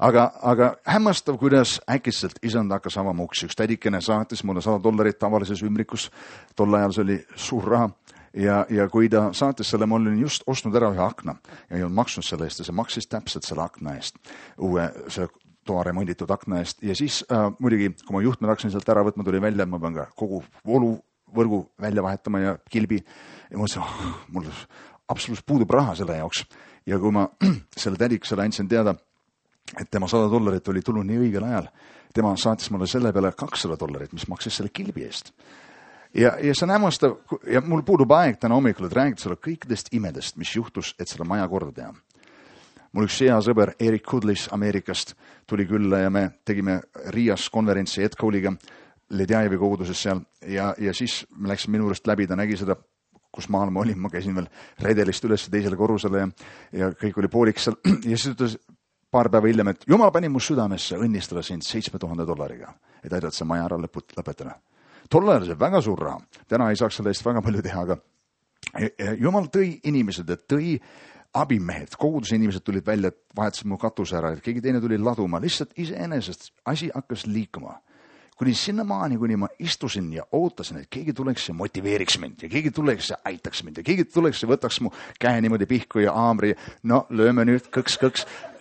Aga hämmastav, kuidas äkitselt isand hakkas avama uksi. Üks tädikene saatis mulle $100 tavalises ümrikus, tol ajal see oli suur raha. Ja kui ta saatis selle, ma olin just ostnud ära ühe akna ja ei olnud maksnud selle eest ja see maksis täpselt selle akna eest, uue selle toa remonditud akna eest. Ja siis muidugi, kui ma juhtmed hakkasin sealt ära võtma, tuli välja, et ma pean ka kogu vooluvõrgu välja vahetama ja kilbi. Ja ma mõtlesin, mul absoluutselt puudub raha selle jaoks. Ja kui ma selle tädikesele andsin teada, et tema $100 oli tulnud nii õigel ajal, tema saatis mulle selle peale $200, mis maksis selle kilbi eest. Ja see on hämmastav, ja mul puudub aeg täna hommikul, et räägida sulle kõikidest imedest, mis juhtus, et selle maja korda teha. Mul üks hea sõber Erik Kudlis Ameerikast tuli külla ja me tegime Riias konverentsi Ed Cole'iga Ledjajevi koguduses seal ja siis me läksime minu juurest läbi, ta nägi seda, kus maal ma olin, ma käisin veel redelist üles teisele korrusele ja kõik oli pooliks seal ja siis ütles paar päeva hiljem, et Jumal pani mu südamesse õnnistada sind $7,000, et aidata see maja ära lõpetada. Tol ajal see väga suur raha. Täna ei saaks selle eest väga palju teha, aga Jumal tõi inimesed, et tõi abimehed, koguduse inimesed tulid välja, et vahetasid mu katuse ära, et keegi teine tuli laduma, lihtsalt iseenesest asi hakkas liikuma. Kuni sinnamaani, kuni ma istusin ja ootasin, et keegi tuleks ja motiveeriks mind ja keegi tuleks ja aitaks mind ja keegi tuleks ja võtaks mu käe niimoodi pihku ja haamri. No, lööme nüüd kõks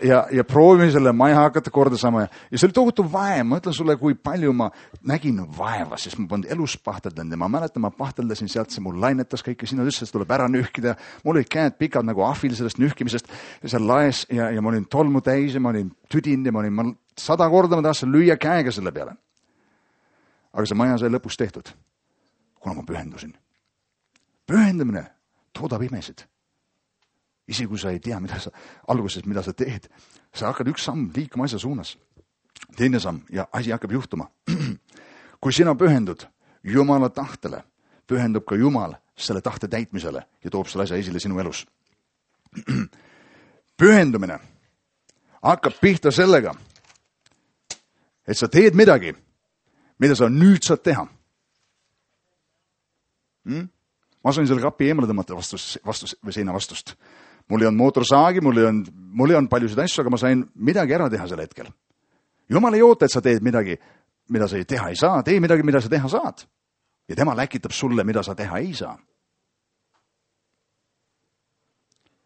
ja proovime selle maja hakata korda saama. Ja see oli tohutu vaev. Ma ütlen sulle, kui palju ma nägin vaeva, sest ma polnud elus pahteldan ja ma mäletan, ma pahteldasin sealt, see mul lainetas kõike, sinna ütles, et tuleb ära nühkida. Mul olid käed pikad nagu ahvil sellest nühkimisest seal laes ja ma olin tolmu täis ja ma olin tüdind ja ma 100 korda ma tahtsin lüüa käega selle peale. Aga see maja sai lõpus tehtud, kuna ma pühendusin. Pühendamine toodab imesid. Isegi kui sa ei tea, mida sa teed, sa hakkad üks samm liikuma asja suunas. Teine samm ja asi hakkab juhtuma. Kui sina pühendud Jumala tahtele, pühendub ka Jumal selle tahte täitmisele ja toob selle asja esile sinu elus. Pühendumine hakkab pihta sellega, et sa teed midagi, mida sa nüüd saad teha. Ma sain selle kapi eemale tõmmata või seina vastust. Mul ei olnud mootorsaagi, mul ei olnud paljusid asju, aga ma sain midagi ära teha sel hetkel. Jumal ei oota, et sa teed midagi, mida sa teha ei saa. Tee midagi, mida sa teha saad. Ja tema läkitab sulle, mida sa teha ei saa.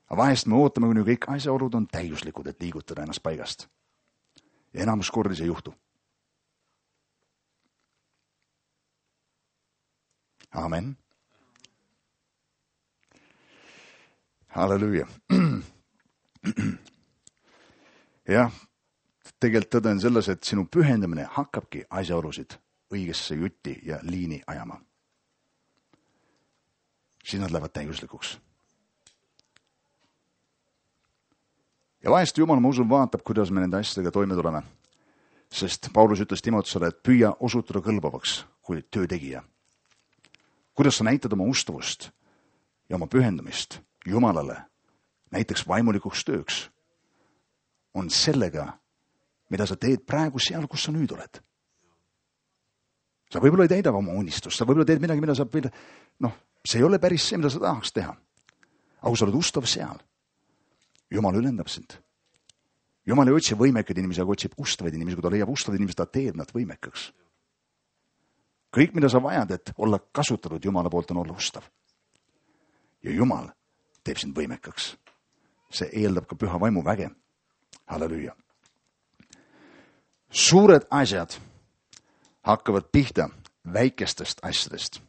Aga vahest me ootame, kuni kõik asjaolud on täiuslikud, et liigutada ennast paigast. Ja enamus kordi see juhtu. Amen. Halleluuja. Jah, tegelikult tõde on selles, et sinu pühendamine hakkabki asjaolusid õigesse jutti ja liini ajama. Siis nad lähevad täiuslikuks. Ja vahest Jumal, ma usun, vaatab, kuidas me nende asjadega toime tuleme. Sest Paulus ütles Timoteusele, et püüa osutuda kõlbavaks kui töö tegija. Kuidas sa näitad oma ustavust ja oma pühendumist Jumalale, näiteks vaimulikuks tööks, on sellega, mida sa teed praegu seal, kus sa nüüd oled. Sa võib-olla ei täida oma unistust, sa võib-olla teed midagi, mida sa see ei ole päris see, mida sa tahaks teha. Aga kui sa oled ustav seal, Jumal ülendab sind. Jumal ei otsi võimekaid inimesi, aga otsib ustavaid inimesi. Kui ta leiab ustavaid inimesi, ta teeb nad võimekaks. Kõik, mida sa vajad, et olla kasutatud Jumala poolt, on olla ustav. Ja Jumal teeb sind võimekaks. See eeldab ka püha vaimu väge. Halleluja. Suured asjad hakkavad pihta väikestest asjadest.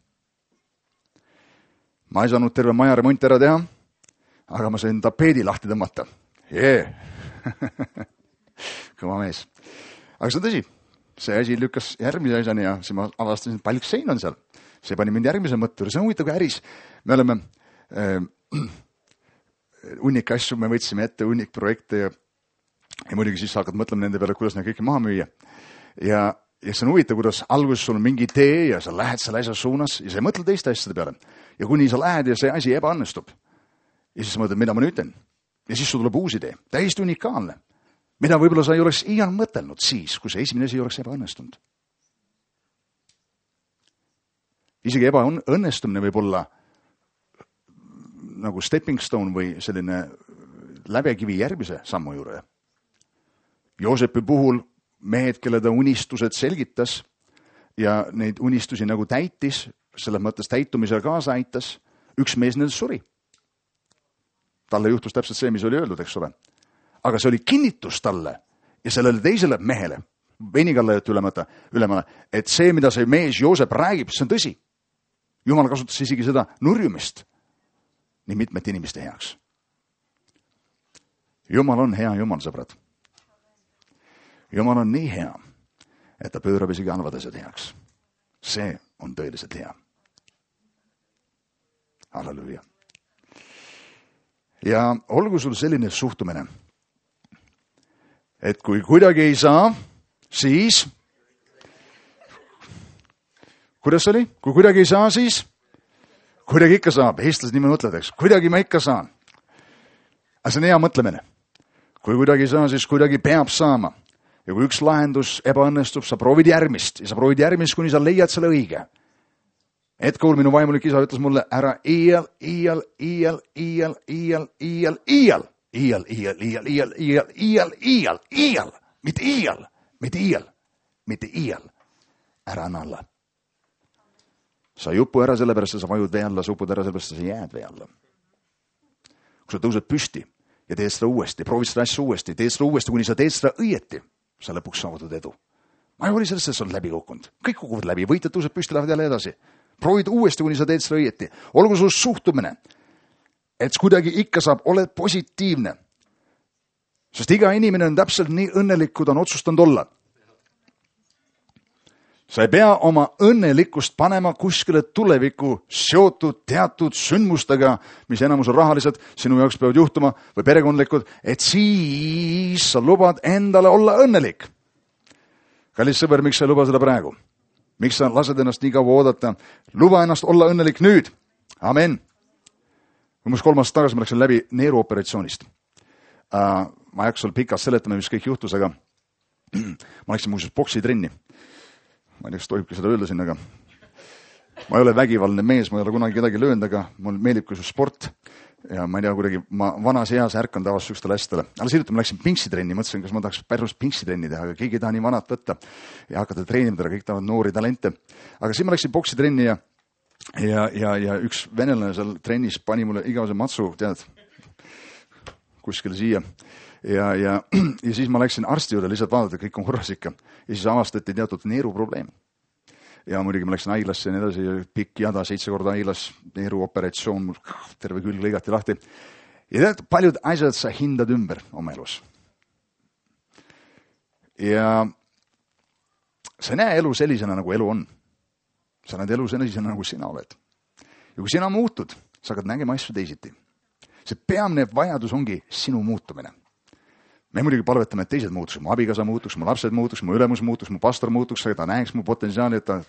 Ma ei saanud terve maja remonti ära teha, aga ma sain tapeedi lahti tõmmata. Kõva mees. Aga see on tõsi. See asi lükkas järgmise asjani ja siis ma avastasin, et paljuks sein on seal. See pani mind järgmise mõtte. See on huvitav ka äris. Me oleme hunnik asju, me võtsime ette hunnik projekte ja muidugi siis hakkad mõtlema nende peale, kuidas neid kõike maha müüa. Ja see on huvitav, kuidas alguses sul on mingi idee ja sa lähed selle asja suunas ja sa ei mõtle teiste asjade peale. Ja kuni sa lähed ja see asi ebaõnnestub. Ja siis mõtled, mida ma nüüd teen. Ja siis sul tuleb uus idee. Täiesti unikaalne. Mida võib-olla sa ei oleks iial mõtelnud siis, kui see esimene asi ei oleks ebaõnnestunud. Isegi ebaõnnestumine võib olla nagu stepping stone või selline lävekivi järgmise sammu juurde. Joosepi puhul mehed, kelle ta unistused selgitas ja neid unistusi nagu täitis, selles mõttes täitumisele kaasa aitas, üks mees nendest suri. Talle juhtus täpselt see, mis oli öeldud, eks ole. Aga see oli kinnitus talle ja sellele teisele mehele, venikalle ülemale, et see, mida see mees Joosep räägib, see on tõsi. Jumal kasutas isegi seda nurjumist nii mitmete inimeste heaks. Jumal on hea Jumal, sõbrad. Jumal on nii hea, et ta pöörab isegi halvad asjad heaks. See on tõeliselt hea. Halleluja. Ja olgu sul selline suhtumine, et kui kuidagi ei saa, siis kuidas oli? Kui kuidagi ei saa, siis kuidagi ikka saab. Eestlased nii mõtled, eks. Kuidagi ma ikka saan. Aga see on hea mõtlemine. Kui kuidagi ei saa, siis kuidagi peab saama. Ja kui üks lahendus ebaõnnestub, sa proovid järgmist. Ja sa proovid järgmist, kuni sa leiad selle õige. Hetkel minu vaimulik isa ütles mulle, ära iial, mitte iial, ära anna alla. Sa ei upu ära sellepärast, sa vajud vee alla, sa upud ära sellepärast, sa jääd vee alla. Kui sa tõused püsti ja teed seda uuesti, proovid seda asja uuesti, teed seda uuesti, kuni sa teed seda õieti, sa lõpuks saavutad edu. Ma ei oli sellest, et sa oled läbi kukkunud. Kõik kukuvad läbi, võitjad tõused püsti, lähevad jälle edasi. Proovid uuesti, kuni sa teed seda õieti. Olgu sul suhtumine, et kuidagi ikka saab, oled positiivne. Sest iga inimene on täpselt nii õnnelik, kui ta on otsustanud olla. Sa ei pea oma õnnelikkust panema kuskile tulevikku seotud teatud sündmustega, mis enamus on rahalised, sinu jaoks peavad juhtuma või perekondlikud, et siis sa lubad endale olla õnnelik. Kallis sõber, miks sa ei luba seda praegu? Miks sa lased ennast nii kaua oodata? Luba ennast olla õnnelik nüüd. Amen. Umbes 3 aastat tagasi ma läksin läbi neeruoperatsioonist. Ma ei hakka sul pikalt seletama, mis kõik juhtus, aga ma läksin muuseas boksitrenni. Ma ei tea, kas tohibki seda öelda siin, aga ma ei ole vägivaldne mees, ma ei ole kunagi kedagi löönud, aga mul meeldib ka sport. Ja ma ei tea, kuidagi ma vanas eas ärkan tavaliselt sükstele asjadele. Alles hiljuti ma läksin pinksitrenni, mõtlesin, kas ma tahaks päris pinksitrenni teha, aga keegi ei taha nii vanat võtta ja hakata treenimidele, kõik tahavad noori talente. Aga siis ma läksin boksitrenni ja üks venelane seal trennis pani mulle igavese matsu, tead, kuskil siia. Ja siis ma läksin arsti juurde lihtsalt vaadata, kõik on korras ikka. Ja siis avastati teatud neeruprobleem. Ja muidugi ma läksin haiglasse ja nii edasi, pikk jada, 7 korda haiglas, neeruoperatsioon, terve külg lõigati lahti. Ja tead, paljud asjad sa hindad ümber oma elus. Ja sa näe elu sellisena, nagu elu on. Sa näed elu sellisena, nagu sina oled. Ja kui sina muutud, sa hakkad nägema asju teisiti. See peamine vajadus ongi sinu muutumine. Me muidugi palvetame, et teised muutuks, mu abikaasa muutuks, mu lapsed muutuks, mu ülemus muutuks, mu pastor muutuks, ta näeks mu potentsiaali, et ta...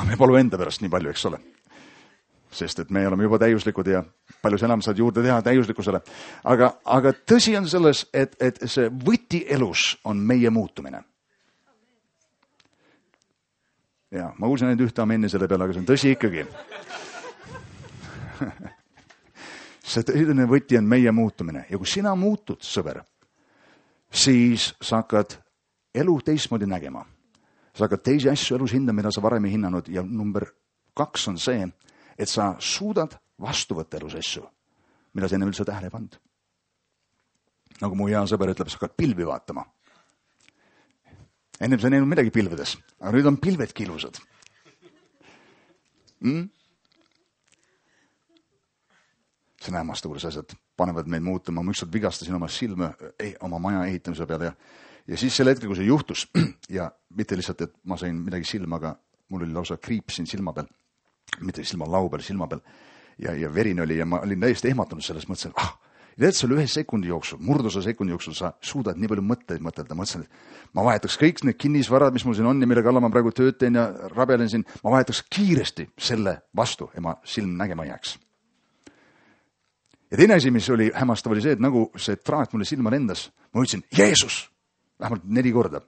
me palu enda pärast nii palju, eks ole. Sest et me oleme juba täiuslikud ja palju enam saad juurde teha täiuslikkusele. Aga tõsi on selles, et see võti elus on meie muutumine. Ja, ma kuulsin ainult ühte amenni selle peale, aga see on tõsi ikkagi. see tõeline võti on meie muutumine. Ja kui sina muutud, sõber, siis sa hakkad elu teistmoodi nägema. Sa hakkad teisi asju elus hindama, mida sa varem ei hinnanud. Ja number 2 on see, et sa suudad vastu võtta elus asju, mida sa enne üldse tähele ei pannud. Nagu mu hea sõber ütleb, sa hakkad pilvi vaatama. Ennem sa ei näinud midagi pilvedes, aga nüüd on pilvedki ilusad. See on hämmastav, kuidas asjad panevad meid muutuma. Ma ükskord vigastasin oma silma oma maja ehitamise peale ja siis selle hetkel, kui see juhtus ja mitte lihtsalt, et ma sain midagi silma, aga mul oli lausa kriip siin silma peal, mitte silma lau peal, silma peal ja verine oli ja ma olin täiesti ehmatunud selles, mõtlesin, ja see oli 1 sekundi jooksul, murdosa sekundi jooksul sa suudad nii palju mõtteid mõtelda. Mõtlesin, et ma vahetaks kõik need kinnisvarad, mis mul siin on ja mille kallal ma praegu tööd teen ja rabelen siin, ma vahetaks kiiresti selle vastu ja ma silm nägema jääks. Ja teine asi, mis oli hämmastav, oli see, et nagu see traat mulle silma lendas, ma ütlesin, Jeesus, vähemalt 4 korda.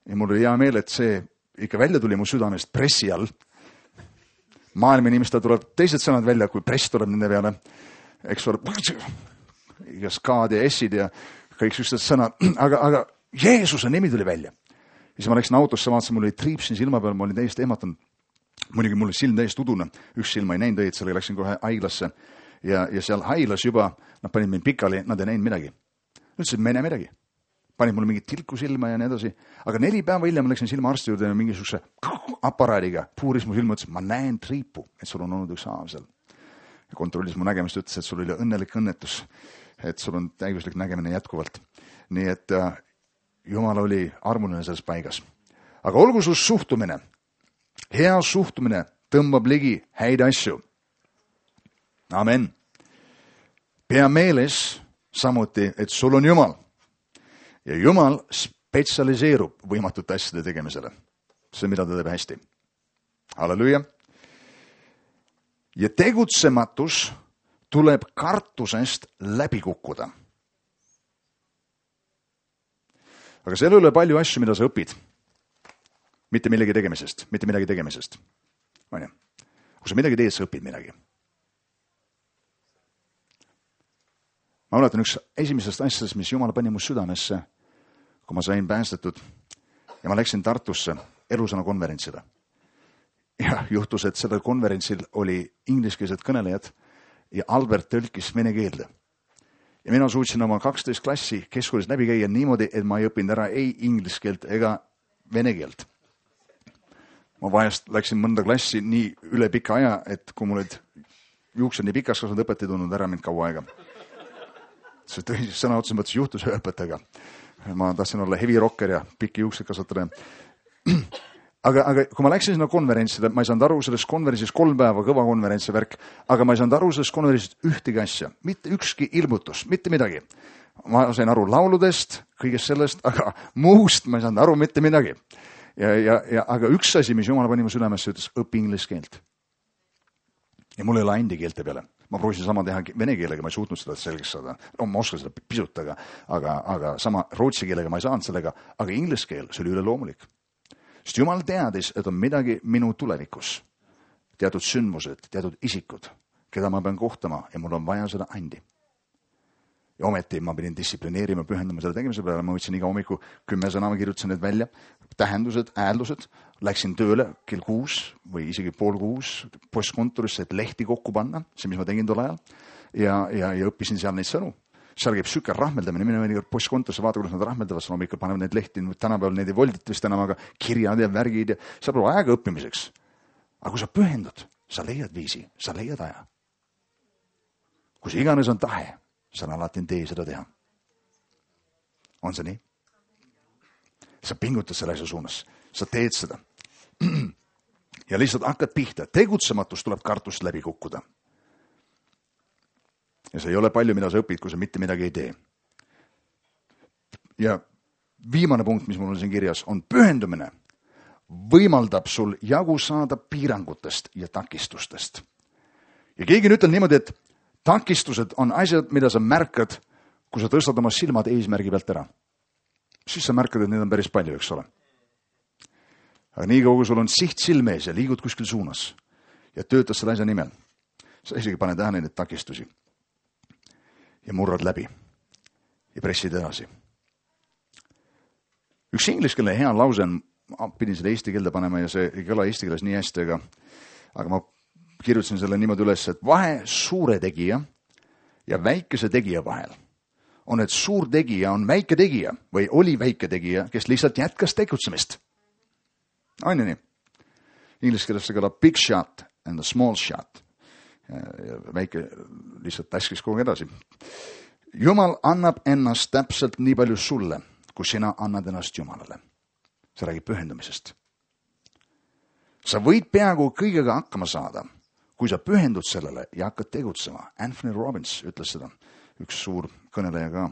Ja mul oli hea meel, et see ikka välja tuli mu südamest pressi all. Maailma inimestel tuleb teised sõnad välja, kui press tuleb nende peale. Eks ole, igas K-d ja S-id ja kõik sellised sõnad, aga Jeesuse nimi tuli välja. Ja siis ma läksin autosse, vaatasin, mul oli triip siin silma peal, ma olin täiesti ehmatunud. Muidugi mul oli silm täiesti udune, üks silma ei näinud õiget, sellega läksin kohe haiglasse ja seal haiglas juba, nad panid mind pikali, nad ei näinud midagi. Ütlesid, me ei näe midagi. Panid mulle mingit tilku silma ja nii edasi. Aga 4 päeva hiljem ma läksin silmaarsti juurde mingisuguse aparaadiga, puuris mu silma, ütles, ma näen triipu, et sul on olnud üks haav seal. Ja kontrollis mu nägemist, ütles, et sul oli õnnelik õnnetus, et sul on täiuslik nägemine jätkuvalt. Nii et Jumal oli armuline selles paigas. Aga olgu sus suhtumine. Hea suhtumine tõmbab ligi häid asju. Amen. Pea meeles samuti, et sul on Jumal. Ja Jumal spetsialiseerub võimatute asjade tegemisele. See, mida ta teeb hästi. Halleluja. Ja tegutsematus tuleb kartusest läbi kukkuda. Aga seal ei ole palju asju, mida sa õpid. Mitte millegi tegemisest, mitte midagi tegemisest. Kui sa midagi teed, sa õpid midagi. Ma mäletan üks esimesest asjadest, mis Jumal pani mu südamesse, kui ma sain päästetud ja ma läksin Tartusse elusõna konverentsile. Ja juhtus, et sellel konverentsil oli ingliskeelsed kõnelejad ja Albert tõlkis vene keelde. Ja mina suutsin oma 12 klassi keskkoolist läbi käia niimoodi, et ma ei õppinud ära ei inglise keelt ega vene keelt. Ma vahest läksin mõnda klassi nii üle pika aja, et kui mul olid juuksed nii pikas, kas nad õpetaja tundnud ära mind kaua aega. See sõna otseses mõttes juhtus ühe õpetajaga. Ma tahtsin olla heavy rocker ja pikki juuksed kasvatada. Aga kui ma läksin sinna konverentsile, ma ei saanud aru sellest konverentsis 3 päeva, kõva konverentsi värk, aga ma ei saanud aru sellest konverentsist ühtegi asja, mitte ükski ilmutus, mitte midagi. Ma sain aru lauludest, kõigest sellest, aga muust ma ei saanud aru mitte midagi. Aga üks asi, mis Jumal pani mu südamesse, ütles, õpi inglise keelt. Ja mul ei ole andi keelte peale. Ma proovisin sama teha vene keelega, ma ei suutnud seda selgeks saada. No, ma oskan seda pisut, aga sama rootsi keelega ma ei saanud sellega, aga inglise keel, see oli üleloomulik. Sest Jumal teadis, et on midagi minu tulevikus. Teatud sündmused, teatud isikud, keda ma pean kohtama ja mul on vaja seda andi. Ja ometi ma pidin distsiplineerima, pühendama selle tegemise peale. Ma võtsin iga hommiku 10 sõna, ma kirjutasin need välja. Tähendused, ääldused. Läksin tööle kell 6 või isegi 5:30 postkontorisse, et lehti kokku panna. See, mis ma tegin tol ajal. Ja õppisin seal neid sõnu. Seal käib süke rahmeldamine. Mine mõnikord postkontorisse vaata, kuidas nad rahmeldavad. Hommikul panevad neid lehti. Tänapäeval neid ei voldita vist enam, aga kirjad ja värgid. Ja seal pole aega õppimiseks. Aga kui sa pühendud, sa leiad viisi, sa leiad aja. Kui see iganes on tahe, sa alati tee seda teha. On see nii? Sa pingutad selle asja suunas. Sa teed seda. Ja lihtsalt hakkad pihta. Tegutsematus tuleb kartust läbi kukkuda. Ja see ei ole palju, mida sa õpid, kui sa mitte midagi ei tee. Ja viimane punkt, mis mul on siin kirjas, on pühendumine. Võimaldab sul jagu saada piirangutest ja takistustest. Ja keegi ütleb niimoodi, et takistused on asjad, mida sa märkad, kui sa tõstad oma silmad eesmärgi pealt ära. Siis sa märkad, et neid on päris palju, eks ole. Aga nii kaugu sul on siht silme ees ja liigud kuskil suunas ja töötad selle asja nimel. Sa isegi pane tähele neid takistusi. ja murrad läbi ja pressid edasi. Üks ingliskeelne hea lause on, ma pidin seda eesti keelde panema ja see ei kõla eesti keeles nii hästi, aga ma kirjutasin selle niimoodi üles, et vahe suure tegija ja väikese tegija vahel on, et suur tegija on väike tegija või oli väike tegija, kes lihtsalt jätkas tegutsemist. On ju nii? Inglise keeles see kõlab big shot and a small shot. Ja väike lihtsalt täskis kogu edasi. Jumal annab ennast täpselt nii palju sulle, kui sina annad ennast Jumalale. See räägib pühendumisest. Sa võid peaaegu kõigega hakkama saada, kui sa pühendud sellele ja hakkad tegutsema. Anthony Robbins ütles seda, üks suur kõneleja ka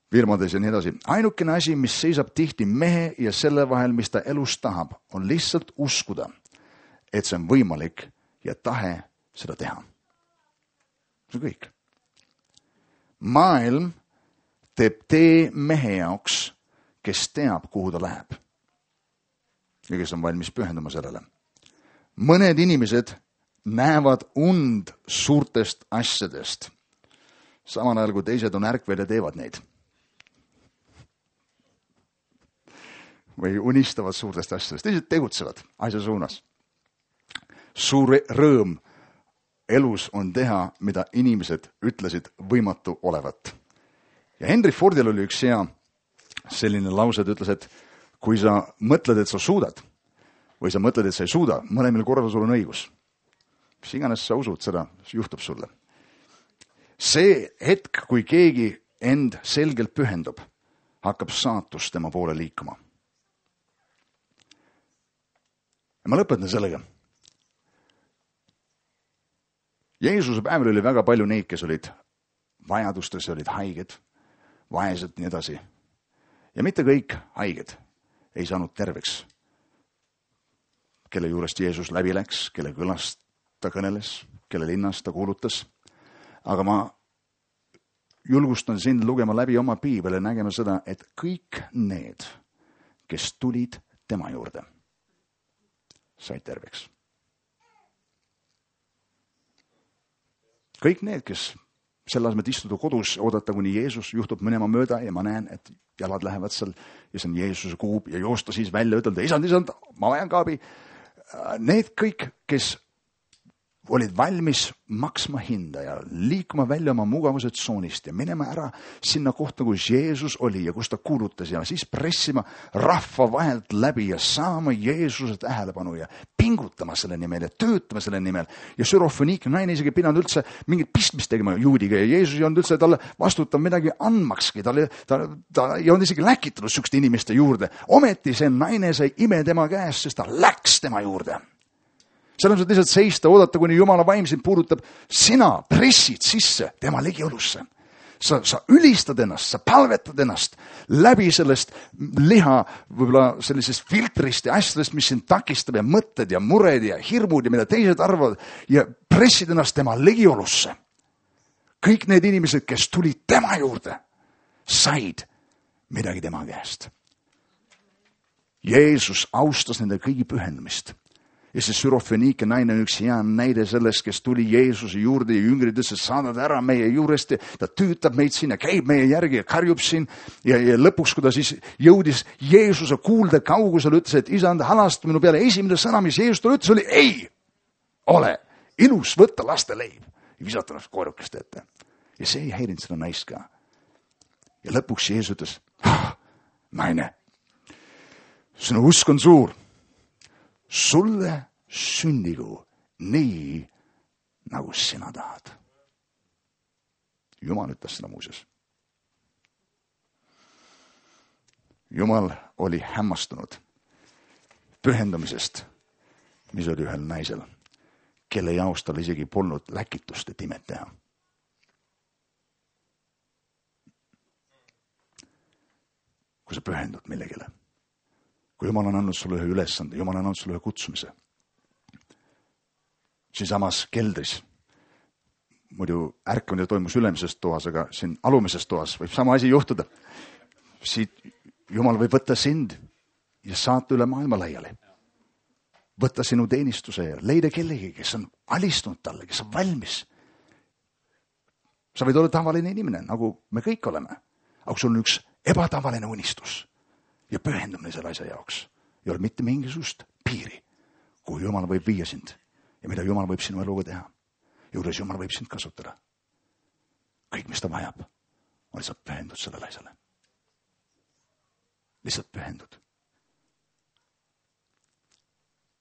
firmades ja nii edasi. Ainukene asi, mis seisab tihti mehe ja selle vahel, mis ta elus tahab, on lihtsalt uskuda, et see on võimalik ja tahe seda teha. See on kõik. Maailm teeb tee mehe jaoks, kes teab, kuhu ta läheb ja kes on valmis pühenduma sellele. Mõned inimesed näevad und suurtest asjadest, samal ajal kui teised on ärkvel ja teevad neid. Või unistavad suurtest asjadest, teised tegutsevad asja suunas. Suur rõõm elus on teha, mida inimesed ütlesid võimatu olevat. Ja Henry Fordil oli üks hea selline lause, et ütles, et kui sa mõtled, et sa suudad, või sa mõtled, et sa ei suuda, mõlemil korral sul on õigus. Mis iganes sa usud, seda juhtub sulle. See hetk, kui keegi end selgelt pühendub, hakkab saatus tema poole liikuma. Ja ma lõpetan sellega. Jeesuse päeval oli väga palju neid, kes olid vajadustes, olid haiged, vaesed, nii edasi. Ja mitte kõik haiged ei saanud terveks, kelle juurest Jeesus läbi läks, kelle kõlast ta kõneles, kelle linnast ta kuulutas. Aga ma julgustan sind lugema läbi oma piibel ja nägema seda, et kõik need, kes tulid tema juurde, said terveks. Kõik need, kes selle asemel istuda kodus, oodata, kuni Jeesus juhtub minema mööda ja ma näen, et jalad lähevad seal ja see on Jeesuse kuub ja joosta siis välja, ütelda, isand, ma vajan kaabi. Need kõik, kes olid valmis maksma hinda ja liikuma välja oma mugavuse tsoonist ja minema ära sinna kohta, kus Jeesus oli ja kus ta kuulutas ja siis pressima rahva vahelt läbi ja saama Jeesuse tähelepanu ja pingutama selle nimel ja töötama selle nimel. Ja Sürofoniik naine isegi pidanud üldse mingit pistmist tegema juudiga ja Jeesus ei olnud üldse talle vastutav midagi andmakski. Ta ei olnud isegi läkitanud sükste inimeste juurde. Ometi see naine sai ime tema käest, sest ta läks tema juurde. Seal on lihtsalt seista, oodata, kuni Jumala vaim sind puudutab. Sina pressid sisse tema ligiolusse. Sa ülistad ennast, sa palvetad ennast läbi sellest liha, võib-olla sellisest filtrist ja asjadest, mis sind takistab ja mõtted ja mured ja hirmud ja mida teised arvavad ja pressid ennast tema ligiolusse. Kõik need inimesed, kes tulid tema juurde, said midagi tema käest. Jeesus austas nende kõigi pühendumist. Ja see Sürofoniike naine on üks hea näide sellest, kes tuli Jeesuse juurde ja jüngrid ütles, et saadad ära meie juurest ja ta tüütab meid siin ja käib meie järgi ja karjub siin. Ja lõpuks, kui ta siis jõudis Jeesuse kuulde kaugusel, ütles, et isand, halasta minu peale. Esimene sõna, mis Jeesus talle ütles, oli ei ole ilus võtta laste leib ja visata ennast koerukeste ette. Ja see ei häirinud seda naist ka. Ja lõpuks Jeesus ütles, naine, sinu usk on suur. Sulle sündigu nii, nagu sina tahad. Jumal ütles seda muuseas. Jumal oli hämmastunud pühendumisest, mis oli ühel naisel, kelle jaoks tal isegi polnud läkitust, et imet teha. Kui sa pühendud millegile. Kui Jumal on andnud sulle ühe ülesande, Jumal on andnud sulle ühe kutsumise. Siinsamas keldris, muidu ärkamine toimus ülemises toas, aga siin alumises toas võib sama asi juhtuda. Siit Jumal võib võtta sind ja saata üle maailma laiali. Võtta sinu teenistuse ja leida kellegi, kes on alistunud talle, kes on valmis sa võid olla tavaline inimene, nagu me kõik oleme. Aga sul on üks ebatavaline unistus ja pühendumine selle asja jaoks. Ei ole mitte mingisugust piiri, kuhu Jumal võib viia sind ja mida Jumal võib sinu eluga teha. Juures Jumal võib sind kasutada. Kõik, mis ta vajab, on lihtsalt pühendud sellele asjale. Lihtsalt pühendud.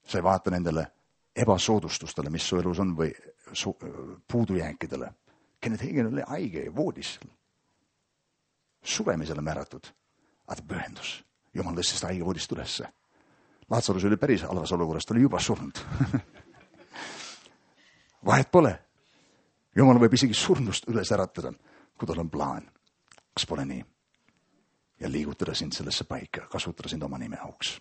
Sa ei vaata nendele ebasoodustustele, mis su elus on või puudujääkidele. Kenneth Hagin oli haige ja voodis. Suremisele määratud, aga ta pühendus. Jumal tõstis ta haige voodist ülesse. Laatsarus oli päris halvas olukorras, ta oli juba surnud. Vahet pole. Jumal võib isegi surnust üles äratada, kui tal on plaan. Kas pole nii? Ja liigutada sind sellesse paika, kasutada sind oma nime auks.